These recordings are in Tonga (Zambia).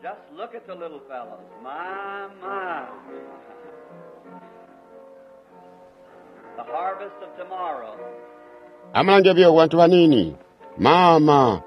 Just look at the little fellows. My, my. The harvest of tomorrow. Amulange buyo bantu baniini. Mama,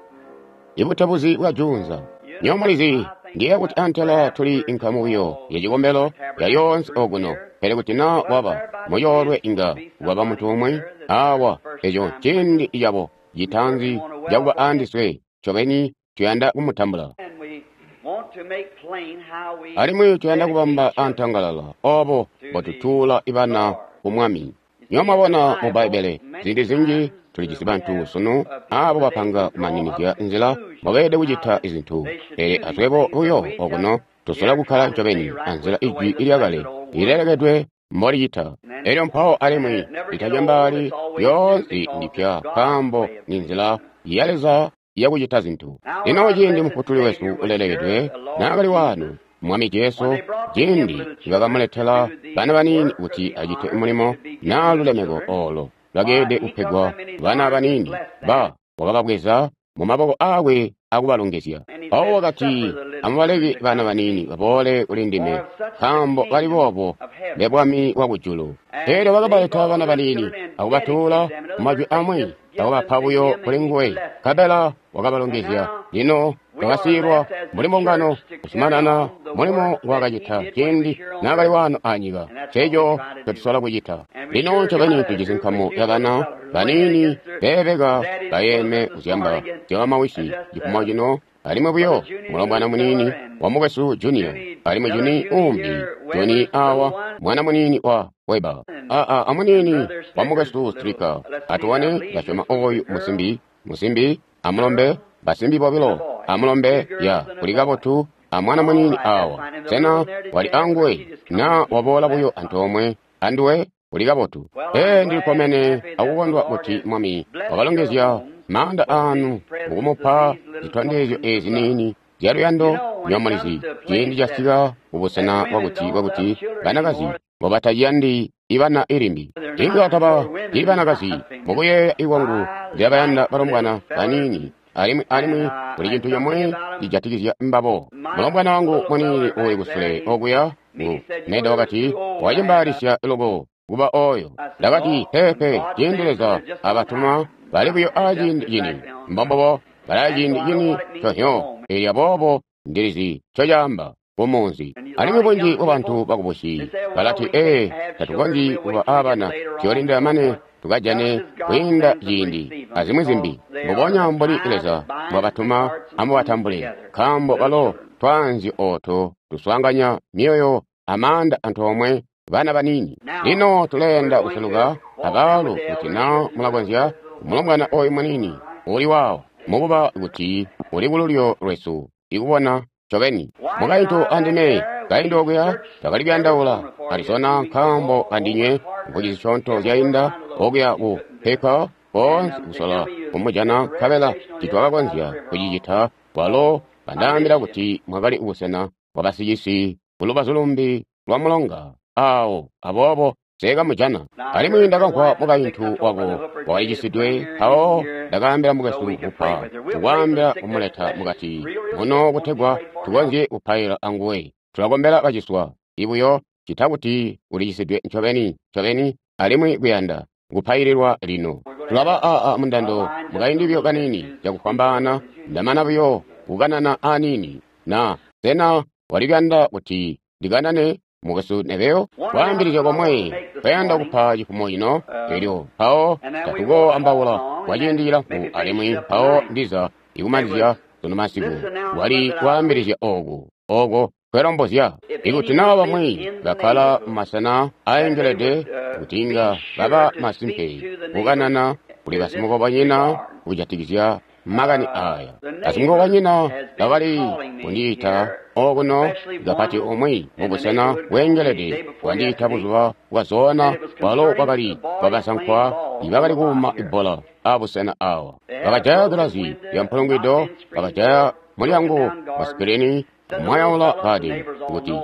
ibutebuzi bwa juunza. Nywebo mulizi, ndiye kuti antela tuli inkamu buyo ya cikombelo ya yoonse okuno. Pele kuti na waba muyoolwe inga waba muntu umwi awa, eco nciindi cabo citaanzi cakuba andiswe. Ncobeni tuyanda kumutambula. And we want to make plain how we Alimwi tuyanda kubamba dedicate children. antangalala obo mbotutuula ibana ku Mwami. Nywebo mwabona mu Bbaibbele ziindi zinji tulijisi bantu sunu abo bapanga kumaninizya nzila mbobeelede kucita izintu, pele aswebo buyo okuno tusola kukkala ncobeni anzila ijwi ilyakale ilelekedwe mbolicita. Elyo mpawo alimwi litacembaali lyoonse ndipya, nkaambo ni nzila ya Leza yakucita zintu. Lino ciindi Mufutuli wesu ulelekedwe naakali waano, Mwami Jesu, ciindi nibakamuletela bana baniini kuti acite mulimo naa lulemeko olo lwakeelede kupegwa bana baniini, ba wakababweza mu maboko aakwe akubalongezya. Mpawo wakati, amubaleke bana baniini baboole kuli ndime, nkaambo bali boobo mbe bwami bwa kujulu. Elyo bakabaleta bana baniini akubatuula mumajwi amwi, akubapa buyo kuli nguwe, nkabela wakabalongezya. Lino twakasiilwa mbuli mbungano kuzumanana mulimo ngwaakacita ciindi naakali waano anyika. Nceeco ncotusola kucita. Lino ncobeni tujisi nkamu ya bana baniini beebeka bayeeme kuzyamba zya bamawisi cifumo cino, alimwi buyo mulombwana muniini wa mukwesu Junior, alimwi Juni uumbi, Juni awa, mwana muniini wa Weber, aa amuniini wa mukwesu Stricker. Atuone, ndasyoma oyu musimbi, musimbi amulombe, basimbi bobilo amulombe, ya kuli kabotu, a mwana muniini awa. Sena wali anguwe na waboola buyo antoomwe anduwe? Uli kabotu. Ee, ndilikkomene akukondwa kuti Mwami wakalongezya maanda aanu mukumupa zitondezyo ezi niini zyaluyando. Nywebo mulizi, ciindi casika kubusena bwakuti banakazi mbobataciyandi ibana ilimbi. Inga taba ibanakazi mukuyeeya ikwangu ndilabayanda balombwana baniini, alimwi alimwi kuli cintu comwe cijatikizya mbabo. Mulombwana wangu muniini uuli kusule okuya ngu Neda wakati, wacimbaalisya loko kuba oyo. Ndakati, peepe, ciindi Leza abatuma bali buyo aciindi cini. Mbombobo bali aciindi cini conyo. Elyo aboobo ndilizi ncocaamba kumunzi. Alimwi bunji bwabantu bakubusi balati, ee, tatukonzyi kuba abana, tuyoolindila mane tukajane kwiinda ciindi, azimwi zimbi. Mbubonya mbuli Leza mbwabatuma, amubatambule, nkaambo balo twaanzyo ooto tuswaanganya myoyo amaanda antoomwe bana baniini. Lino tuleenda kuseluka abaalu kuti na mulakonzya mulombwana oyu muniini uli waawo, mukuba kuti uli kululyo lwesu ikubona ncobeni. Mukaintu andime kaindi okuya twakali kuyandaula Arizona nkaambo andinywe mvwiki zisyoonto zyainda okuya ku Peka koonse kusola kumujana, nkabela titwakakonzya kucicita. Walo kandaambila kuti mwakali kubusena bwa basicisi kulubazu lumbi lwa mulonga awo, aboobo nseekamujana. Alimwi ndakamvwa mukaintu wako wakalicisidwe, mpawo ndakaambila mukwesu kupa kukwaambila kumuleta mukati muno kutegwa tukonzye kupaila anguwe. Tulakombela baciswa ibuyo cita kuti ulicisidwe ncobeni ncobeni alimwi kuyanda kupaililwa lino. Tulaba aa mundando mukaindi buyo kaniini cakufwambaana, ndamana buyo kukanana aniini. Na sena wali kuyanda kuti ndikanane mukwesu Neville? Kwaambilizya komwe kwayanda kupa cifumo cino, elyo mpawo tatukoambaula kwa ciindi cilamfu, alimwi mpawo ndiza ikumanizya sunu masiku. Wali kwaambilizya oku oko twelombozya ikuti naa bamwi bakkala mumasena aengelede kuti inga baba masimpe kukanana kuli basimukobanyina kujatikizya makani aya. Basimukobanyina bakali kundiita okuno, kapati umwi mubusena bweengelede wandiita buzuba bwazoona, bwalo bwakali bwabasankwa ibakali kuuma ibbola abusena awa. Bakajaya gilazi lya mpulungwido, bakajaya mulyango wa sikirini, kumwayaula kadi kuti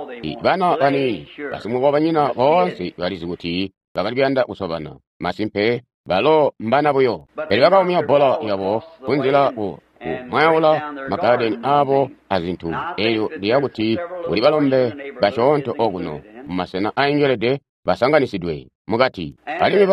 bana baniini basimukobanyina boonse balizi kuti bakali kuyanda kusobana. Masimpe balo mbana buyo, pele bakaumya bbola yabo kunzila ku kumwayaula magadeni abo azintu. Elyo ndiya kuti kuli balombe basyoonto okuno mumasena aingelede basanganisidwe mukati. Alimwi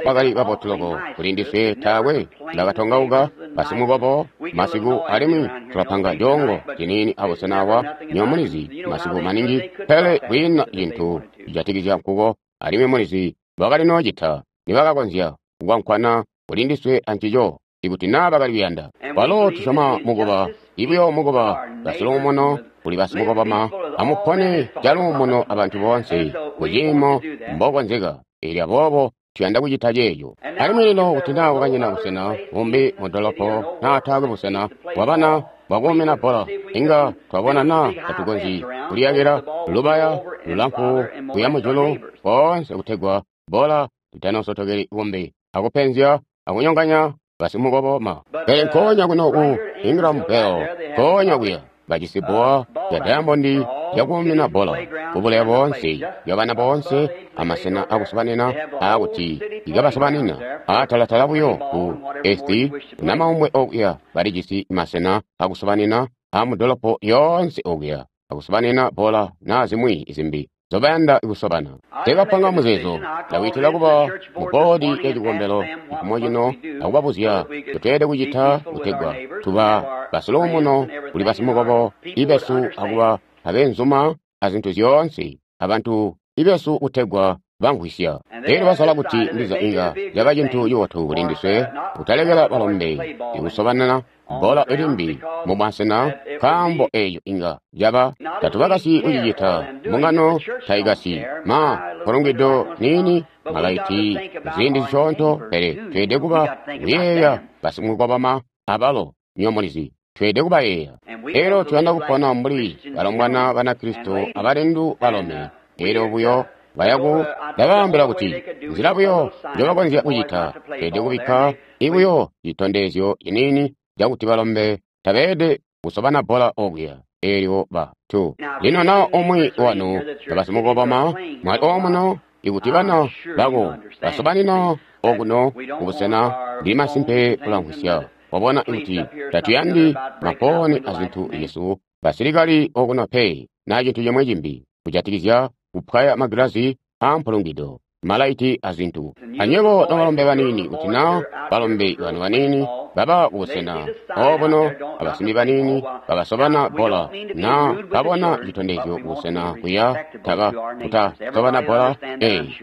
bakali babotu loko kuli ndiswe, taakwe ndakatongauka basimukobo masiku, alimwi tulapanga coongo ciniini abusena awa nyomulizi masiku maningi, pele kwiina cintu cijatikizya nkuko. Alimwi mulizi bakali noocita nibakakonzya kukwankwana kuli ndiswe ancico ikuti naa bakali kuyanda. Kwalo tusyoma mukuba ibuyo mukuba basiluumuno kuli basimukoboma, amupone caluumuno abantu boonse kuciimo mbokonzeka. Elyo aboobo tuyanda kucita ceeco. Alimwi lino kuti naa kwakanyina busena bumbi mu dolopo naa taakwe busena bwabana bwakuumina bbola, inga twabona naa tatukonzyi kuliyakila lubaya lulamfu kuya mujulu koonse kutegwa bbola litanoosotokeli kumbi akupenzya akunyonganya basimukoboma. Pele nkoonya kuno ku Ingram Bell, nkoonya kuya bajisi bbowa ya dayamondi yakuumina bbola kubuleya boonse yabana boonse amasena akusobanina aakuti ikabasobanina aatalatala buyo ku esti namaumbwe okuya balijisi masena akusobanina amudolopo yoonse okuya akusobanina bbola naa zimwi zimbi zobayanda kusobana. Teekapanga muzeezo, ndakwiitila kuba mu boodi ya cikombelo cifumo cino akubabuzya ncotweelede kucita kutegwa tuba basiluumuno kuli basimukobo ibesu akuba abeenzuma azintu zyoonse abantu ibesu kutegwa bamvwisya. Elyo basala kuti ndiza inga caba cintu cibotu kuli ndiswe kutalekela balombe ikusobanana bbola ilimbi mubwasena, nkaambo eeco inga caba tatubakasyi kucicita, mbungano taikasyi ma mpulungwido niini malaiti ziindi zisyoonto, pele tweelede kuba kuyeeya basimukoboma abalo nyomulizi tweelede kubayeeya. Elyo tuyanda kupona mbuli balombwana Banakristo abalindu balome. Elyo buyo bayaku ndabaambila kuti nzila buyo njobakonzya kucita, tweelede kubikka ibuyo citondezyo ciniini cakuti balombe tabeelede kusobana bbola okuya. Elyo ba tu lino naa umwi wanu basimukoboma mwali omuno, ikuti bana bako basobanina okuno kubusena, ndili masimpe kulamvwisya. Wabona kuti tatuyandi mafooni azintu zyesu basilikali okuno pe, naa cintu cimwi cimbi kujatikizya kupwaya magilazi aampulungwido, malaiti azintu. Anywebo nobalombe baniini, kuti naa balombe banu baniini baba kubusena obuno abasimbi baniini babasobana bbola, naa babona citondezyo kubusena kuya taba kutasobana bbola.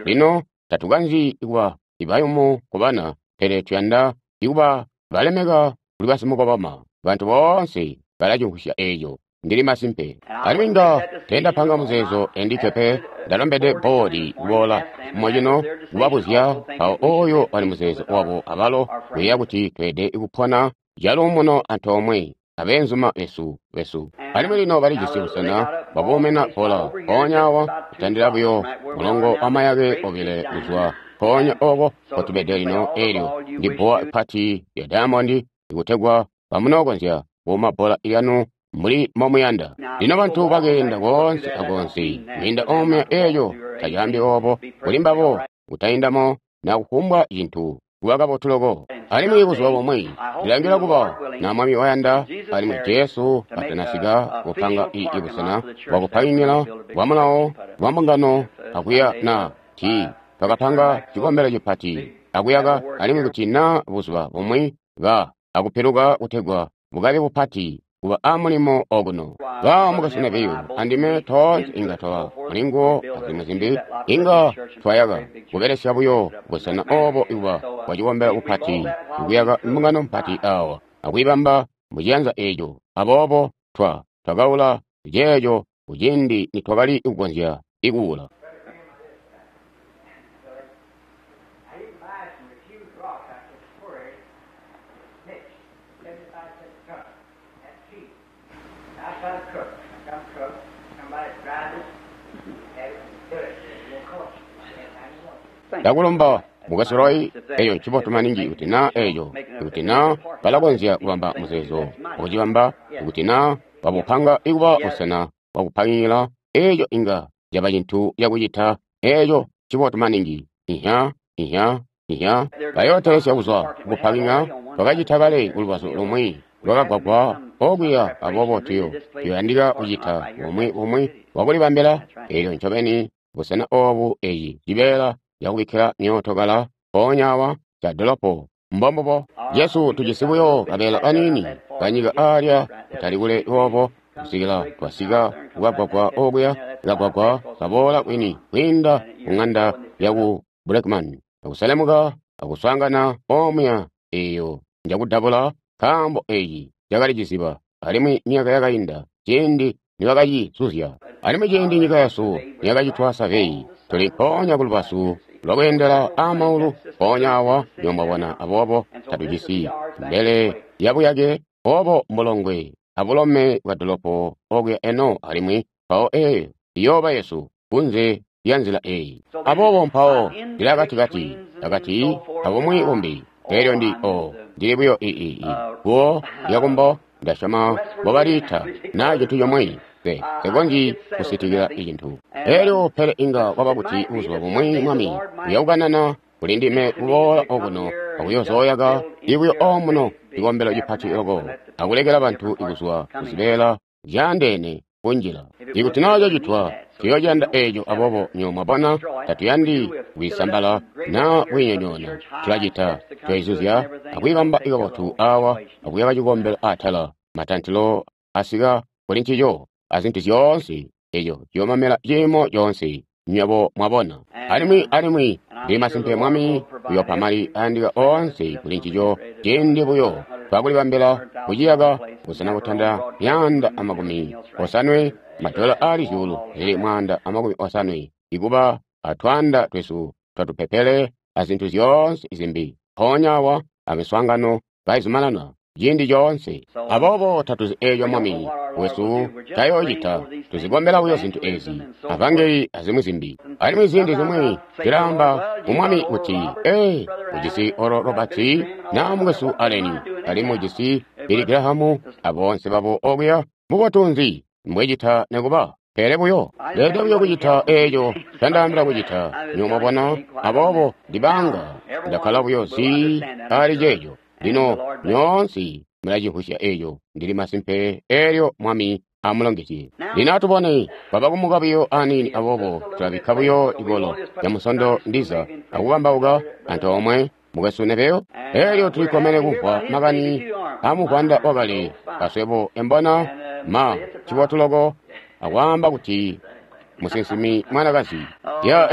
Lino tatukanzi kuba ibayumu kubana, pele tuyanda ikuba balemeka kuli basimukoboma. Bantu boonse balacimvwisya eeco. Ndili masimpe. Alimwi inga teendapanga muzeezo endikke pe, ndalombede boodi kuboola cifumo cino kubabuzya mpawo ooyo wali muzeezo wabo abalo kuyeeya kuti tweelede kupona caluumuno antoomwe abeenzuma besu. Alimwi lino balijisi busena bwakuumina bbola mpoonya awa kutandila buyo mulongo wamayake obile kuzwa mpoonya ooko mpotubede lino. Eelyo ndi bbowa pati lya dayamondi ikutegwa bamunookonzya kuuma bbola lyanu mbuli mbomuyanda. Lino bantu bakeenda koonse akoonse kwiinda omuya, eeco tacaambi oobo kuli mbabo kutaindamo na kufumbwa cintu kuba kabotu loko. Alimwi buzuba bumwi ndilangila kuba na Mwami wayanda alimwi Jesu katanasika kupanga ibusena bwakupangila bwa mulawo bwa mbungano akuya na ti twakapanga cikombelo cipati akuyaka, alimwi kuti naa buzuba bumwi ba akupiluka kutegwa bukabe bupati kuba amulimo okuno. Ba mukasena biyo andime toonse inga twaba mulinguwo azimwi zimbi, inga twayaka kubelesya buyo busena obo kuba bwa cikombelo bupati, kuyaka mbungano mpati awa akuyibamba muciyanza eeco. Aboobo twakaula ceeco kuciindi nitwakali kukonzya ikuula. Ndakulomba Mukwesu Roy, eeco ncibotu maningi kuti naa eeco, ikuti naa balakonzya kubamba muzeezo wakucibamba, ikuti naa babupanga ikuba busena bwakupangila, eeco inga caba cintu cakucita, eeco ncibotu maningi. Ihya, ihya, ihya. Bayootelesya kuzwa kukupakiŋa, twakacita kale kulubazu lumwi. lwakagwagwa okuya, aboobo tuyo yandika kucita bumwi wakulibambila. Elyo ncobeni busena obu eci cibeela cakubikkila myootokala mpoonya awa ca dolopo. Mbombubo Jesu tujisi buyo kabeela kaniini kanyika aalya kutali kule boobo kusikila twasika kukagwagwa okuya, kagwagwa kaboola kwini kwiinda ku ng'anda yaku Blackman, akuselemuka akuswaangana omuya eyo njakudabula, nkaambo eci cakali ciziba, alimwi myaka yakainda ciindi nibakacizuzya. Alimwi ciindi nyika yesu niyakacitwa survey, tuli mpoonya kulubazu lwakweendela aamaulu mpoonya awa nyoomwabona, aboobo tatujisi mbele yabuyake obo mbulongwe abulome bwa dolopo okuya eno, alimwi mpawo eyo iyooba yesu kunze lya nzila eyi. Aboobo mpawo ndili akatikati akati abumwi bumbi. Elyo ndi ndili buyo guwo lyakumbo, ndasyoma mbobaliita na cintu comwe, nsekonzyi kusitikila icintu. Elyo pele inga kwaba kuti buzuba bumwi Mwami uyakukanana kuli ndime kuboola okuno akuyozooyaka ibuyo omuno cikombelo cipati loko akulekela bantu kuzwa kuzibeela zyaandeene kunjila. Ikuti naa cacitwa, tuyoociyanda eeco. Aboobo nywebo mwabona, tatuyandi kwiisambala naa kwiinyonyoona. Tulacita, tuyoizuzya akwiibamba kabotu awa akuyaka cikombelo atala, matantilo asika kuli ncico, azintu zyoonse. Eco ciyoomamela ciimo coonse, nywebo mwabona. Alimwi ndili masimpe Mwami uyoopa mali ayandika oonse kuli ncico ciindi buyo twakulibambila kuciyaka busena butanda 150, madola aali 150,000, ikuba atwaanda twesu twatupepele azintu zyoonse zimbi mpoonya awa amiswaangano kaizumanana ciindi coonse. Aboobo tatuzi eeco Mwami wesu tayoocita, tuzikombela buyo zintu ezi, avangeli azimwi zimbi. Alimwi ziindi zimwi zilaamba ku Mwami kuti, ee, ujisi Oral Roberts na mukwesu Allen, alimwi ujisi Billy Graham aboonse babo okuya, mubotu nzi mbwecita nekuba? Pele buyo leede buyo kucita eeco candaambila kucita, nywebo mwabona. Aboobo ndibanga ndakkala buyo zii ali ceeco. Lino nyoonse mulacimvwisya eeco, ndili masimpe eelyo Mwami amulongezye. Lino atubone, kwaba kumuka buyo aniini, aboobo tulabikka buyo cikolo ca Musondo ndiza akukambauka antoomwe mukwesu Neville. Eelyo tulikkomene kumvwa makani amuvwanda wakale aswebo embona ma cibotu loko akwaamba kuti musinsimi mwanakazi. Ya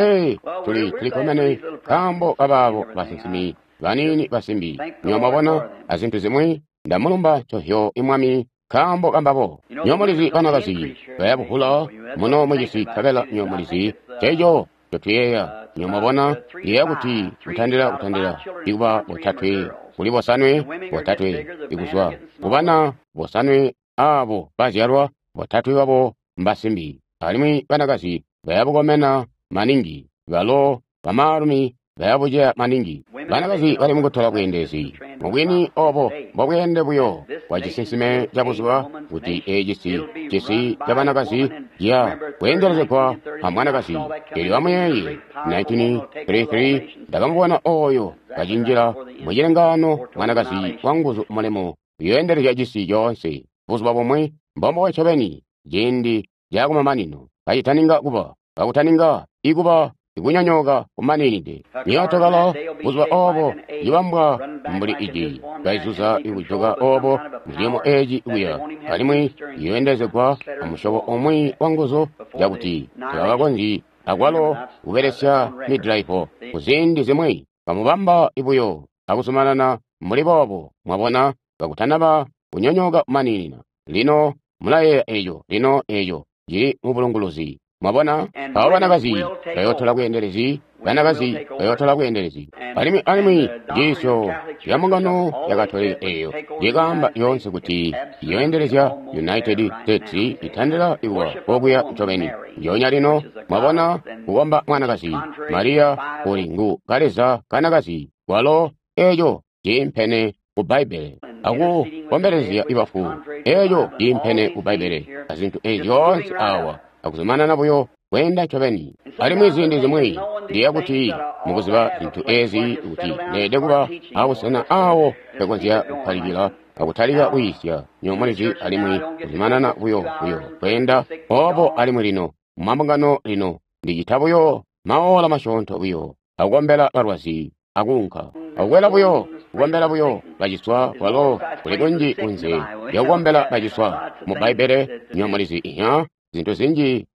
tulikkomene nkaambo kabaabo basinsimi baniini basimbi, nywebo mwabona, azintu zimwi. Ndamulumba ncovyo Mwami nkaambo kambabo. Nywebo mulizi banakazi bayabuvula muno mucisi, nkabela nywebo mulizi ceeco ncotuyeeya. Nywebo mwabona, ndiyeeya kuti kutandila ikuba botatwe kuli bosanwe, botatwe ikuzwa kubana bosanwe aabo bazyalwa, botatwe babo mbasimbi. Alimwi banakazi bayabukomena maningi, balo bamaalumi bayabuceya maningi. Banakazi bali mukutola bweendelezi mubwini obo mbobweende buyo bwa cisinsime ca buzuba, kuti eci cisi ca banakazi ciya kweendelezegwa a mwanakazi. Elyo amuyeeye 1933 ndakamubona oyo kacinjila mucilengaano, mwanakazi wa nguzu mulemu uyooendelezya cisi coonse buzuba bumwi. Mbombubo ncobeni ciindi cakumamanino kacitaninga kuba, kakutaninga ikuba ikunyonyooka kumaninide. Myootokala buzuba obo ibambwa mbuli iji kaizuza ikujoka obo muciimo eci kuya, alimwi iyoendelezegwa amusyobo umwi wa nguzu cakuti tabakakonzyi akwalo kubelesya midraivo kuziindi zimwi. Bamubamba buyo akuzumanana mbuli boobo, mwabona, kakutanaba kunyonyooka kumaninina. Lino mulayeeya eco, lino eco cili mubulunguluzi. Mwabona, mpawo banakazi bayootola bweendelezi, banakazi bayootola bweendelezi. Alimwi njiisyo ya mbungano ya Katolika eyo yekaamba yoonse kuti iyoendelezya United States itandila ikuba kokuya ncobeni. Njoonya lino, mwabona, kukomba mwanakazi Maria uli ngu kaleza kanakazi, walo eco ciimpene ku Bbaibbele, akukombelezya ibafu, eco ciimpene ku Bbaibbele, azintu ezi zyoonse awa, akuzumanana buyo kweenda ncobeni. Alimwi ziindi zimwi ndiyeeya kuti mukuziba zintu ezi kuti neede kuba abusena awo mpekonzya kukkalikila akutalika kuyiisya, nywebo mulizi, alimwi kuzumanana buyo buyo kweenda obo. Alimwi lino mu mabungano lino Ndi cita buyo maola masyoonto buyo akukombela balwazi akuunka, akukwela buyo kukombela buyo baciswa. Kwalo kuli kunji kunze lya kukombela baciswa mu Bbaibbele, nywebo mulizi, iya zintu zinji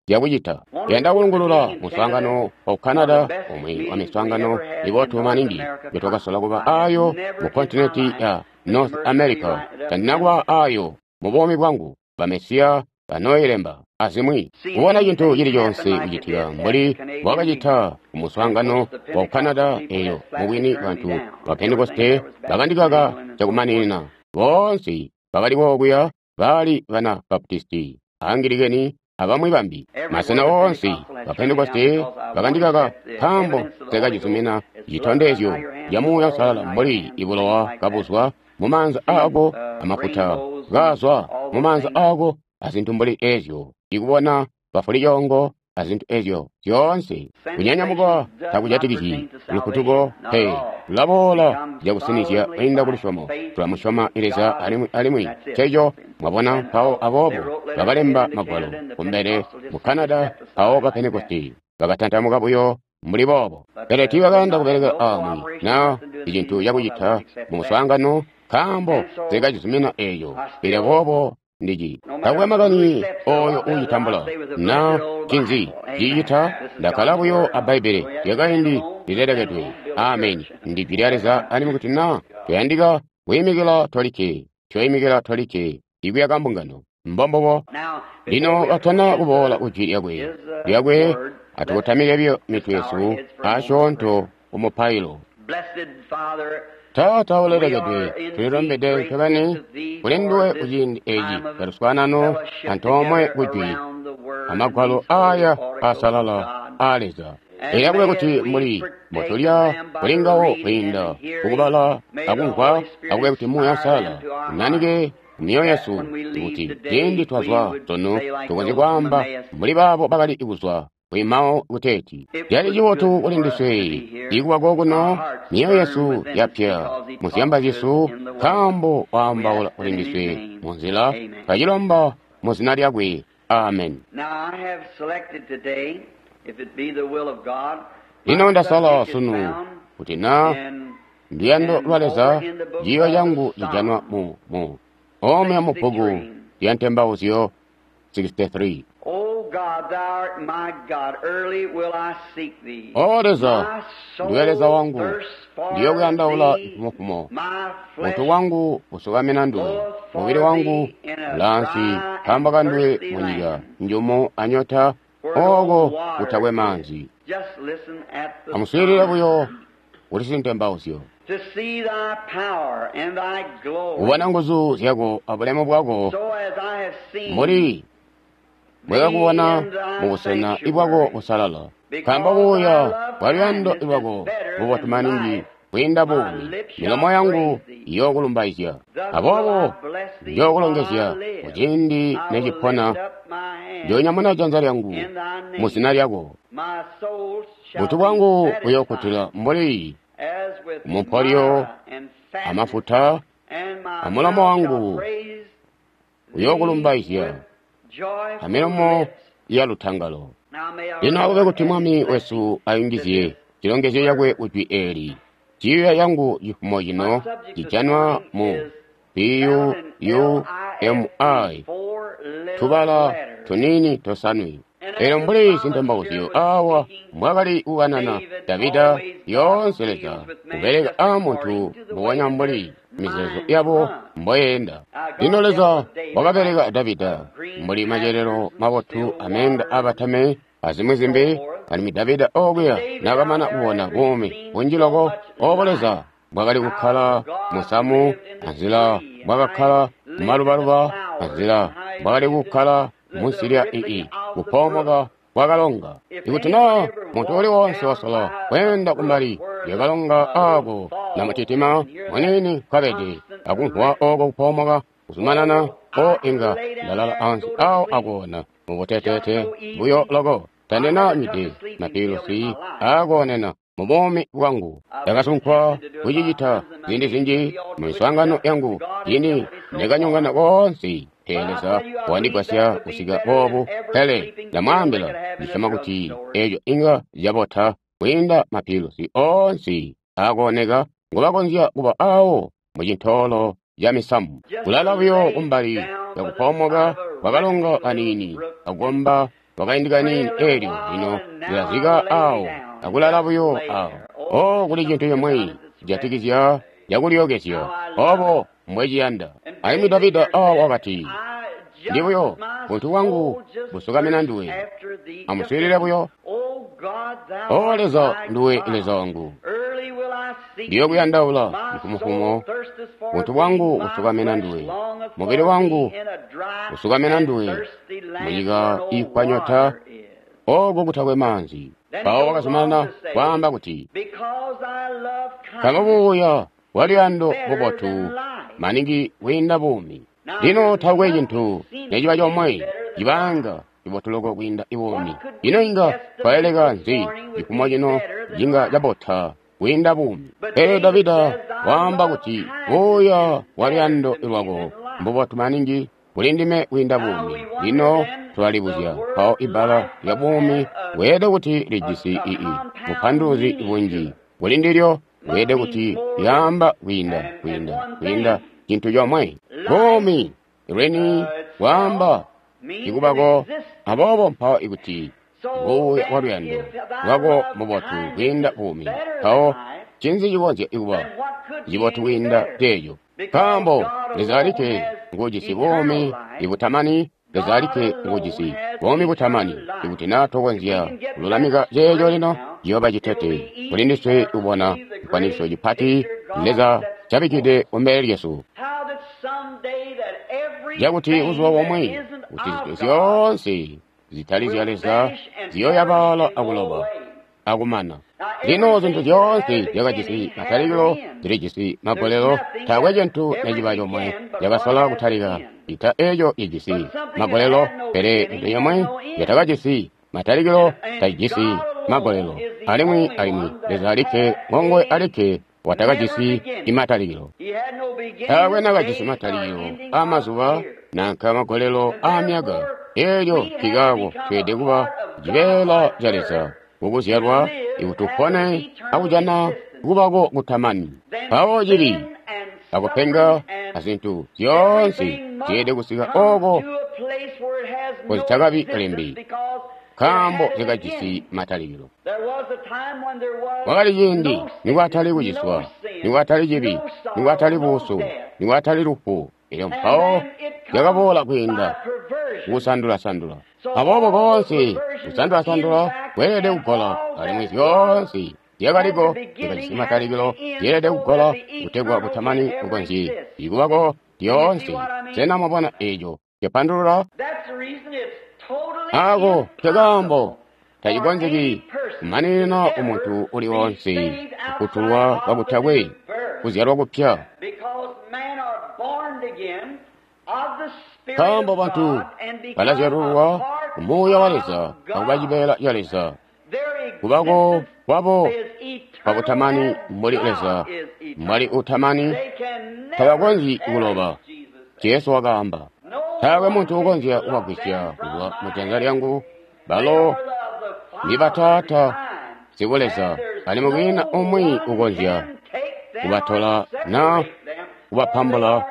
zyakucita. Yanda kulungulula muswaangano wa Canada, umwi wa miswaangano mibotu maningi yotwakasola kuba ayo mu kontinenti ya North America. Tandina kuba ayo mu buumi bwangu. Bamesiya banoyilemba azimwi. Kubona cintu cili coonse kucitika mbuli bwakacita ku muswaangano wa Canada eyo, mubwini bantu ba Pentekoste bakandikaka cakumaninina. Boonse bakali kokuya bali bana Baptisti, Angilikeni, abamwi bambi. Masena oonse ba Pentekoste bakandikaka nkaambo nsekacizumina citondezyo ca Muuya Uusalala mbuli ibulowa kabuzwa mumaanza aako, amafuta kaazwa mumaanza aako, azintu mbuli ezyo, ikubona bafulicoongo azintu ezyo zyoonse. Kunyanyamuka takujatikizyi lufutuko pe, lulaboola cakusinizya kwiinda ku lusyomo. Tulamusyoma Leza alimwi alimwi nceco, mwabona. Mpawo aboobo bakalemba magwalo kumbele mu Canada, mpawo ba Pentekoste bakatantamuka buyo mbuli boobo. Pele tiibakayanda kubeleka aamwi na icintu cakucita mu muswaangano, nkaambo nsekacizumina eeco. Pele boobo ndici takwe makani oyo uucitambula na cinzi cicita, ndakkala buyo a Bbaibbele lyakaindi lilelekedwe. Ameni. Ndi Jwi lya Leza. Alimwi kuti na tuyandika kwiimikila tolikke, tuyoimikila tolikke ikuyaka mbungano. Mbombubo. Lino katana kuboola ku Jwi lyakwe, atukotamike biyo mitwe yesu asyoonto ku mupailo. Taata ulelekedwe, tulilombede ncobeni kuli nduwe kuciindi eci caluswaanano antoomwe ku Jwi amagwalo aya asalala aa Leza. Elyo akube kuti mbuli mbotulya kuli ngawo kwiinda kukubala akumvwa, akube kuti Muuya Uusalala unanike mumyoyo yesu, kuti ciindi twazwa sunu tukonzye kwaamba mbuli baabo bakali kuzwa kwimawo kuteeti, cali cibotu kuli ndiswe ikuba kokuno. Myoyo yesu yapya muzyamba zyesu, nkaambo waambaula kuli ndiswe mu nzila. Twacilomba mu zina lyakwe. Amen. Lino ndasala sunu kuti na nduyando lwa Leza, ciiyo cangu cijanwa mu omwe mu bbuku lya Ntembauzyo 63. O Leza, ndiwe Leza wangu, ndiyokuyandaula mfumofumo. Mutu wangu usukamina nduwe, mubili wangu ulaansi nkaambo kanduwe munyika njumu anyota, ooko kutakwe maanzi. Amuswiilile buyo kuti sintembauzyo. Kubona nguzu zyako abulemu bwako, mbuli bwekakubona mubusena ibwako busalala. Nkaambo buya bwa luyando lwako bubotu maningi kwiinda buumi, milomo yangu iyookulumbaizya. Aboobo njookulongezya kuciindi necipona, njoonyamuna janza lyangu mu zina lyako. Butu bwangu buyookutila mbuli mupolyo amafuta, amulomo wangu uyookulumbaizya amilomo yalutangalo. Lino akube kuti Mwami wesu ayungizye cilongezyo cakwe kujwi eeli. Ciiyo yangu cifumo cino cijanwa mu P-U-U-M-I, tubala tuniini tosanwe. Elyo mbuli sintembauzyo awa mbwakali kukanana Davida, yoonse Leza kubeleka a muntu mbubonya mbuli mizeezo yabo mboyeenda. Lino Leza wakabeleka Davida mbuli macelelo mabotu ameenda abatame azimwi zimbi. Alimwi Davida okuya nakamana kubona buumi bunji loko obo Leza bwakali kukkala musamu, anzila bwakakkala mumalubaluba, anzila bwakali kukkala munsi lya ii kupoomoka kwakalonga. Ikuti naa muntu uli wonse wasola kweenda kumbali lyakalonga aako namutitima muniini nkabede akumvwa oko kupoomoka kuzumanana, o inga ndalala ansi awo akoona mubuteteete buyo loko. Tandina nywide mapiilusi aakoonena mu buumi bwangu. Ndakasunkwa kucicita ziindi zinji mu miswaangano yangu, ciindi ndakanyongana koonse. Pele Leza wandigwasya kusika boobu. Pele ndamwaambila, ndisyoma kuti eco inga cabota kwiinda mapiilusi oonse aakooneka ngobakonzya kuba awo mu cintoolo ca misamu. Kulala buyo kumbali yakupoomoka kwakalonga kaniini, akukomba kwakaindi kaniini, eelyo lino lilazika awo akulala buyo awo. O, kuli cintu cimwi cijatikizya cakulyookezya, obo mbweciyanda. Alimwi Davida awa wakati, ndi buyo buntu bwangu busukamina nduwe. Amuswiilile buyo. O Leza, nduwe Leza wangu, ndiyokuyandaula mfumufumo. Buntu bwangu busukamina nduwe, mubili wangu usukamina nduwe, munyika iikwanyota oko kutakwe maanzi. Mpawo wakazumanana kwaamba kuti, nkaambo buuya bwaluyando bubotu maningi kwiinda buumi. Lino taakwe cintu neciba comwe cibanga cibotu loko kwiinda buumi. Ino inga twaleleka nzi cifumo cino cinga cabota kwiinda buumi? Pele Davida waamba kuti buuya bwaluyando lwako mbubotu maningi kuli ndime kwiinda buumi. Lino tulalibuzya mpawo ibbala lya buumi bweelede kuti lijisi ii bupanduluzi bunji kuli ndilyo, bweelede kuti lyaamba kwiinda kwiinda kwiinda cintu comwe. Buumi lweni bwaamba ikubako, aboobo mpawo ikuti buuya bwa luyando lwako mubotu kwiinda buumi, mpawo ncinzi cikonzya kuba cibotu kwiinda ceeco? Nkaambo Leza alikke nguujisi buumi ibutamani, Leza alikke nguujisi buumi butamani. Ikuti naa tokonzya kululamika ceeco lino, ciyooba citete kuli ndiswe kubona cikwaniso cipati Leza cabikkide kumbele lyesu, cakuti buzuba bumwe kuti zintu zyoonse zitali zya Leza ziyooyabaala akuloba akumana. Lino zintu zyoonse zyakajisi matalikilo zilijisi magolelo. Taakwe cintu neciba comwe cakasola kutalika ita eco cijisi magolelo, pele cintu comwe catakajisi matalikilo tacijisi magolelo. Alimwi Leza alikke ngonguwe alikke watakajisi imatalikilo. Taakwe nakajisi matalikilo aamazuba nanka magolelo aamyaka. Eelyo nkikaako tweelede kuba cibeela ca Leza kukuzyalwa ikuti tupone akujana kubako kutamani. Mpawo cibi akupenga azintu zyoonse zyeelede kusika oko kozitakabi limbi, nkaambo zyakajisi matalikilo. Kwakali ciindi nikwatali kuciswa, nikwatali cibi, nikwatali buusu, nikwatali lufu. Elyo mpawo zyakaboola kwiinda kukusandula-sandula. Aboobo koonse kusandula-sandula kweelede kugola, alimwi zyoonse zyakaliko zyakajisi matalikilo zyeelede kugola kutegwa kutamani kukonzye ikubako lyoonse. Sena mwabona eco capandulula? Ako nkekaambo tacikonzeki kumaninina umuntu uli wonse kufutulwa kakutakwe kuzyalwa kupya, nkaambo bantu balazyalulwa ku Muuya wa Leza akuba cibeela ca Leza. Kubako kwabo kwabutamani mbuli Leza mbwali utamani, tabakonzyi kuloba. Jesu wakaamba, taakwe muntu ukonzya kubagwisya kuzwa mu janza lyangu. Balo ni bataata sikuleza, alimwi kwiina umwi ukonzya kubatola na kubapambula,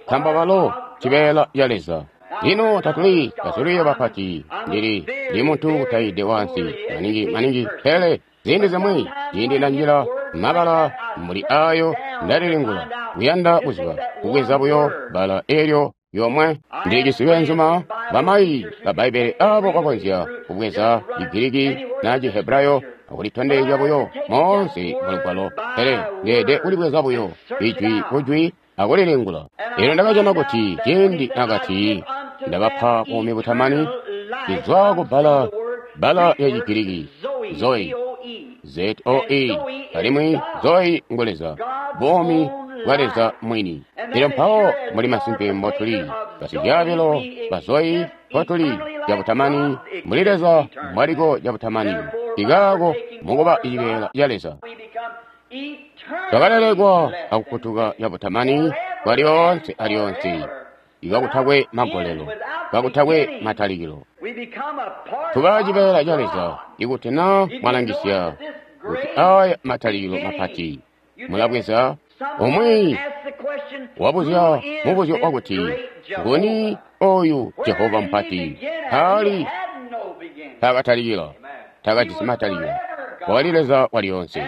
nkaambo balo cibeela ca Leza. Lino tatuli basololi bapati, ndili ndi muntu kutayide wansi maningi maningi, pele ziindi zimwi ciindi ndanjila mabala mbuli ayo ndalilingula kuyanda kuziba kubweza buyo bbala eelyo yomwe. Ndilijisi beenzuma bamayi ba Bbaibbele abo bakonzya kubweza Chigiriki na Chihebrayo akulitondezya buyo moonse mulugwalo, pele ndeede kulibweza buyo ijwi kujwi akulilingula. Elyo ndakajana kuti ciindi nakati ndabapa buumi butamani, lizwa ku bbala bbala lya Chigiriki zoe, Z-O-E, alimwi zoe ngu Leza, buumi bwa Leza mwini. Elyo mpawo muli masimpe mbotuli basizyaabilo ba zoe, mpotuli cabutamani mbuli Leza mbwaliko cabutamani. Ikaako mukuba cibeela ca Leza. Twakalelekwa akukutuka cabutamani kwa lyoonse alyoonse, ikakutakwe magolelo, kakutakwe matalikilo. Tuba cibeela ca Leza ikuti na mwalangisya kuti aya matalikilo mapati mulabweza. Umwi wabuzya mubuzyo wakuti, nguni oyu Jehova mupati? Taali taakatalikila, taakajisi matalikilo. Wakali Leza walyoonse.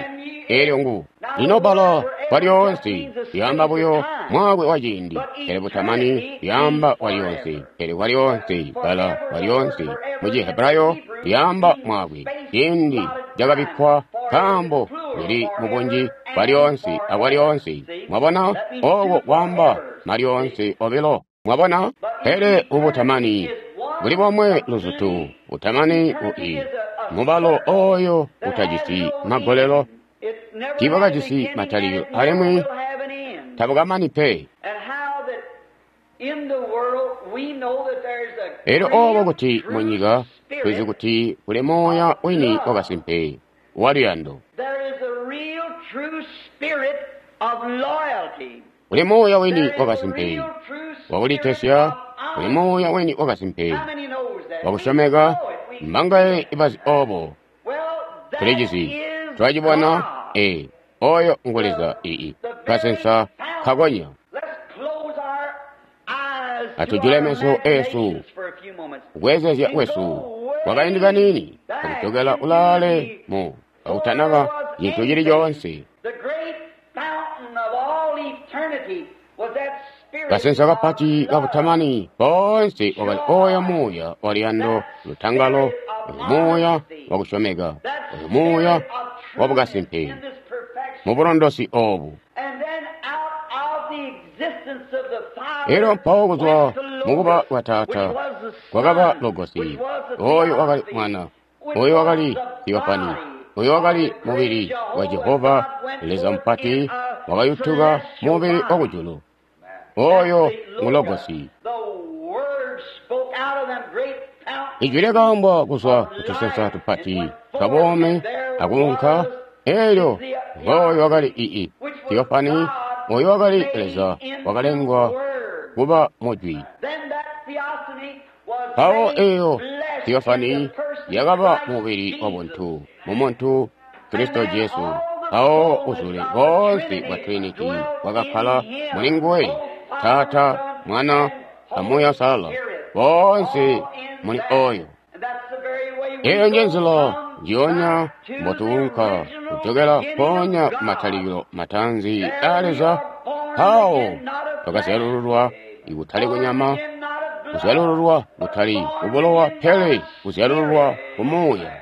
Elyo ngu lino bbala walyoonse lyaamba buyo mwaakwe wa ciindi, pele butamani lyaamba walyoonse. Pele walyoonse, bbala walyoonse mu Chihebrayo lyaamba mwaakwe, ciindi cakabikkwa nkaambo lili mubunji bwalyoonse akwalyoonse. Mwabona, oko kwaamba malyoonse obilo. Mwabona, pele ubutamani buli bomwe luzutu, butamani ui mubalo oyo utajisi magolelo, tiibwakajisi matalikilo alimwi tabukamani pe. Elyo obo kuti munyika tulizi kuti kuli muuya wini wakasimpe waluyando, kuli muuya wini wakasimpe wakulitesya, kuli muuya wini wakasimpe wakusyomeka. Mbangaye ibazi obo? Tulijizi, twacibona. Ee, oyo ngu Leza. Ii kasensa kakonya. Atujule meso esu kukwezezya kwesu kwakaindi kanini akujokela ulaale mu akutanaba cintu cili coonse. Kasensa kapati kabutamani bonse wakali oyo muuya waluyando, lutangalo, oyo muuya wakusyomeka, oyo muuya wabukasimpe mubulondosi obu. Elyo mpawo kuzwa mukuba kwa Taata kwakaba Logosi, oyo wakali Mwana, oyo wakali Theofani, oyo wakali mubili wa Jehova Leza mupati wakayutuka mubili wakujulu. Oyo ngu Logosi. Ijwi lyakaambwa kuzwa kutusensa tupati twabuumi akuunka. Elyo ngooyo wakali ii Theofani, oyo wakali Leza wakalengwa kuba mujwi. Mpawo eyo Theofani yakaba mubili wabuntu mumuntu Kristo Jesu. Mpawo uzule boonse bwa Trinity bwakakkala muli nguwe, Taata, Mwana, a Muuya Uusalala, boonse muli oyo. Eyo nje nzila njiyonya mbotuunka kujokela mpoonya kumatalikilo mataanzi aa Leza. Mpawo twakazyalululwa ikutali kunyama, kuzyalululwa kutali kubulowa, pele kuzyalululwa ku Muuya.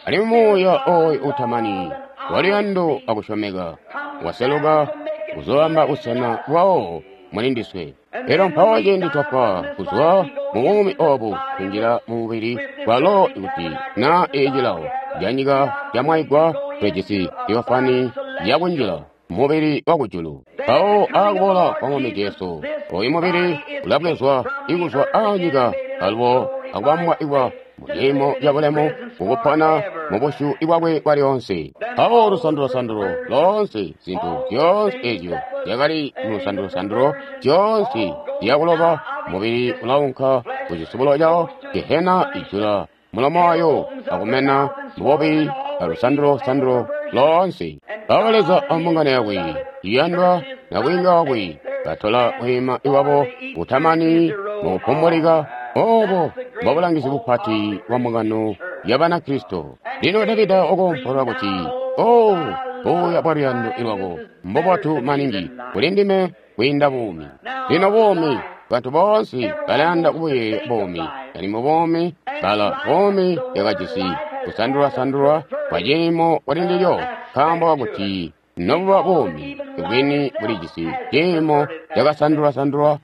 Alimwi Muuya oyo utamani waluyando akusyomeka waseluka kuzoobamba busena bwawo muli ndiswe. Elyo mpawo ciindi twafwa kuzwa mu buumi obu kunjila mu mubili bwalo, ikuti na ecilawo canyika camwaigwa, tulijisi Theofani yakunjila mubili wakujulu. Mpawo akuboola kwa Mwami Jesu, oyu mubili ulabwezwa ikuzwa aanyika alubo akubambwa ikwa muciimo cabulemu kukupona mubusyu bwakwe bwalyoonse. Mpawo lusandulosandulo loonse, zintu zyoonse ezyo zyakali mulusandulosandulo zyoonse zyakuloba, mubili ulaunka kucisubulo cawo. Gehena ijula mulomo wayo akumena mububi alusandulosandulo loonse. Mpawo Leza ambungano yakwe iyandwa nabwiinga wakwe batola bweema iwabo butamani mukupumbulika. Obo mbobulangizi bupati bwa mbungano ya Banakristo. Lino Davida wakoompola kuti, O buya bwa luyando lwako mbubotu maningi kuli ndime kwiinda buumi. Lino buumi, bantu boonse balayanda kubuyeeya buumi, alimwi buumi bala buumi yakajisi kusandulwasandulwa kwa ciimo kuli ndilyo, nkaambo kakuti nobuba buumi bwini bulijisi ciimo cakasandulwasandulwa.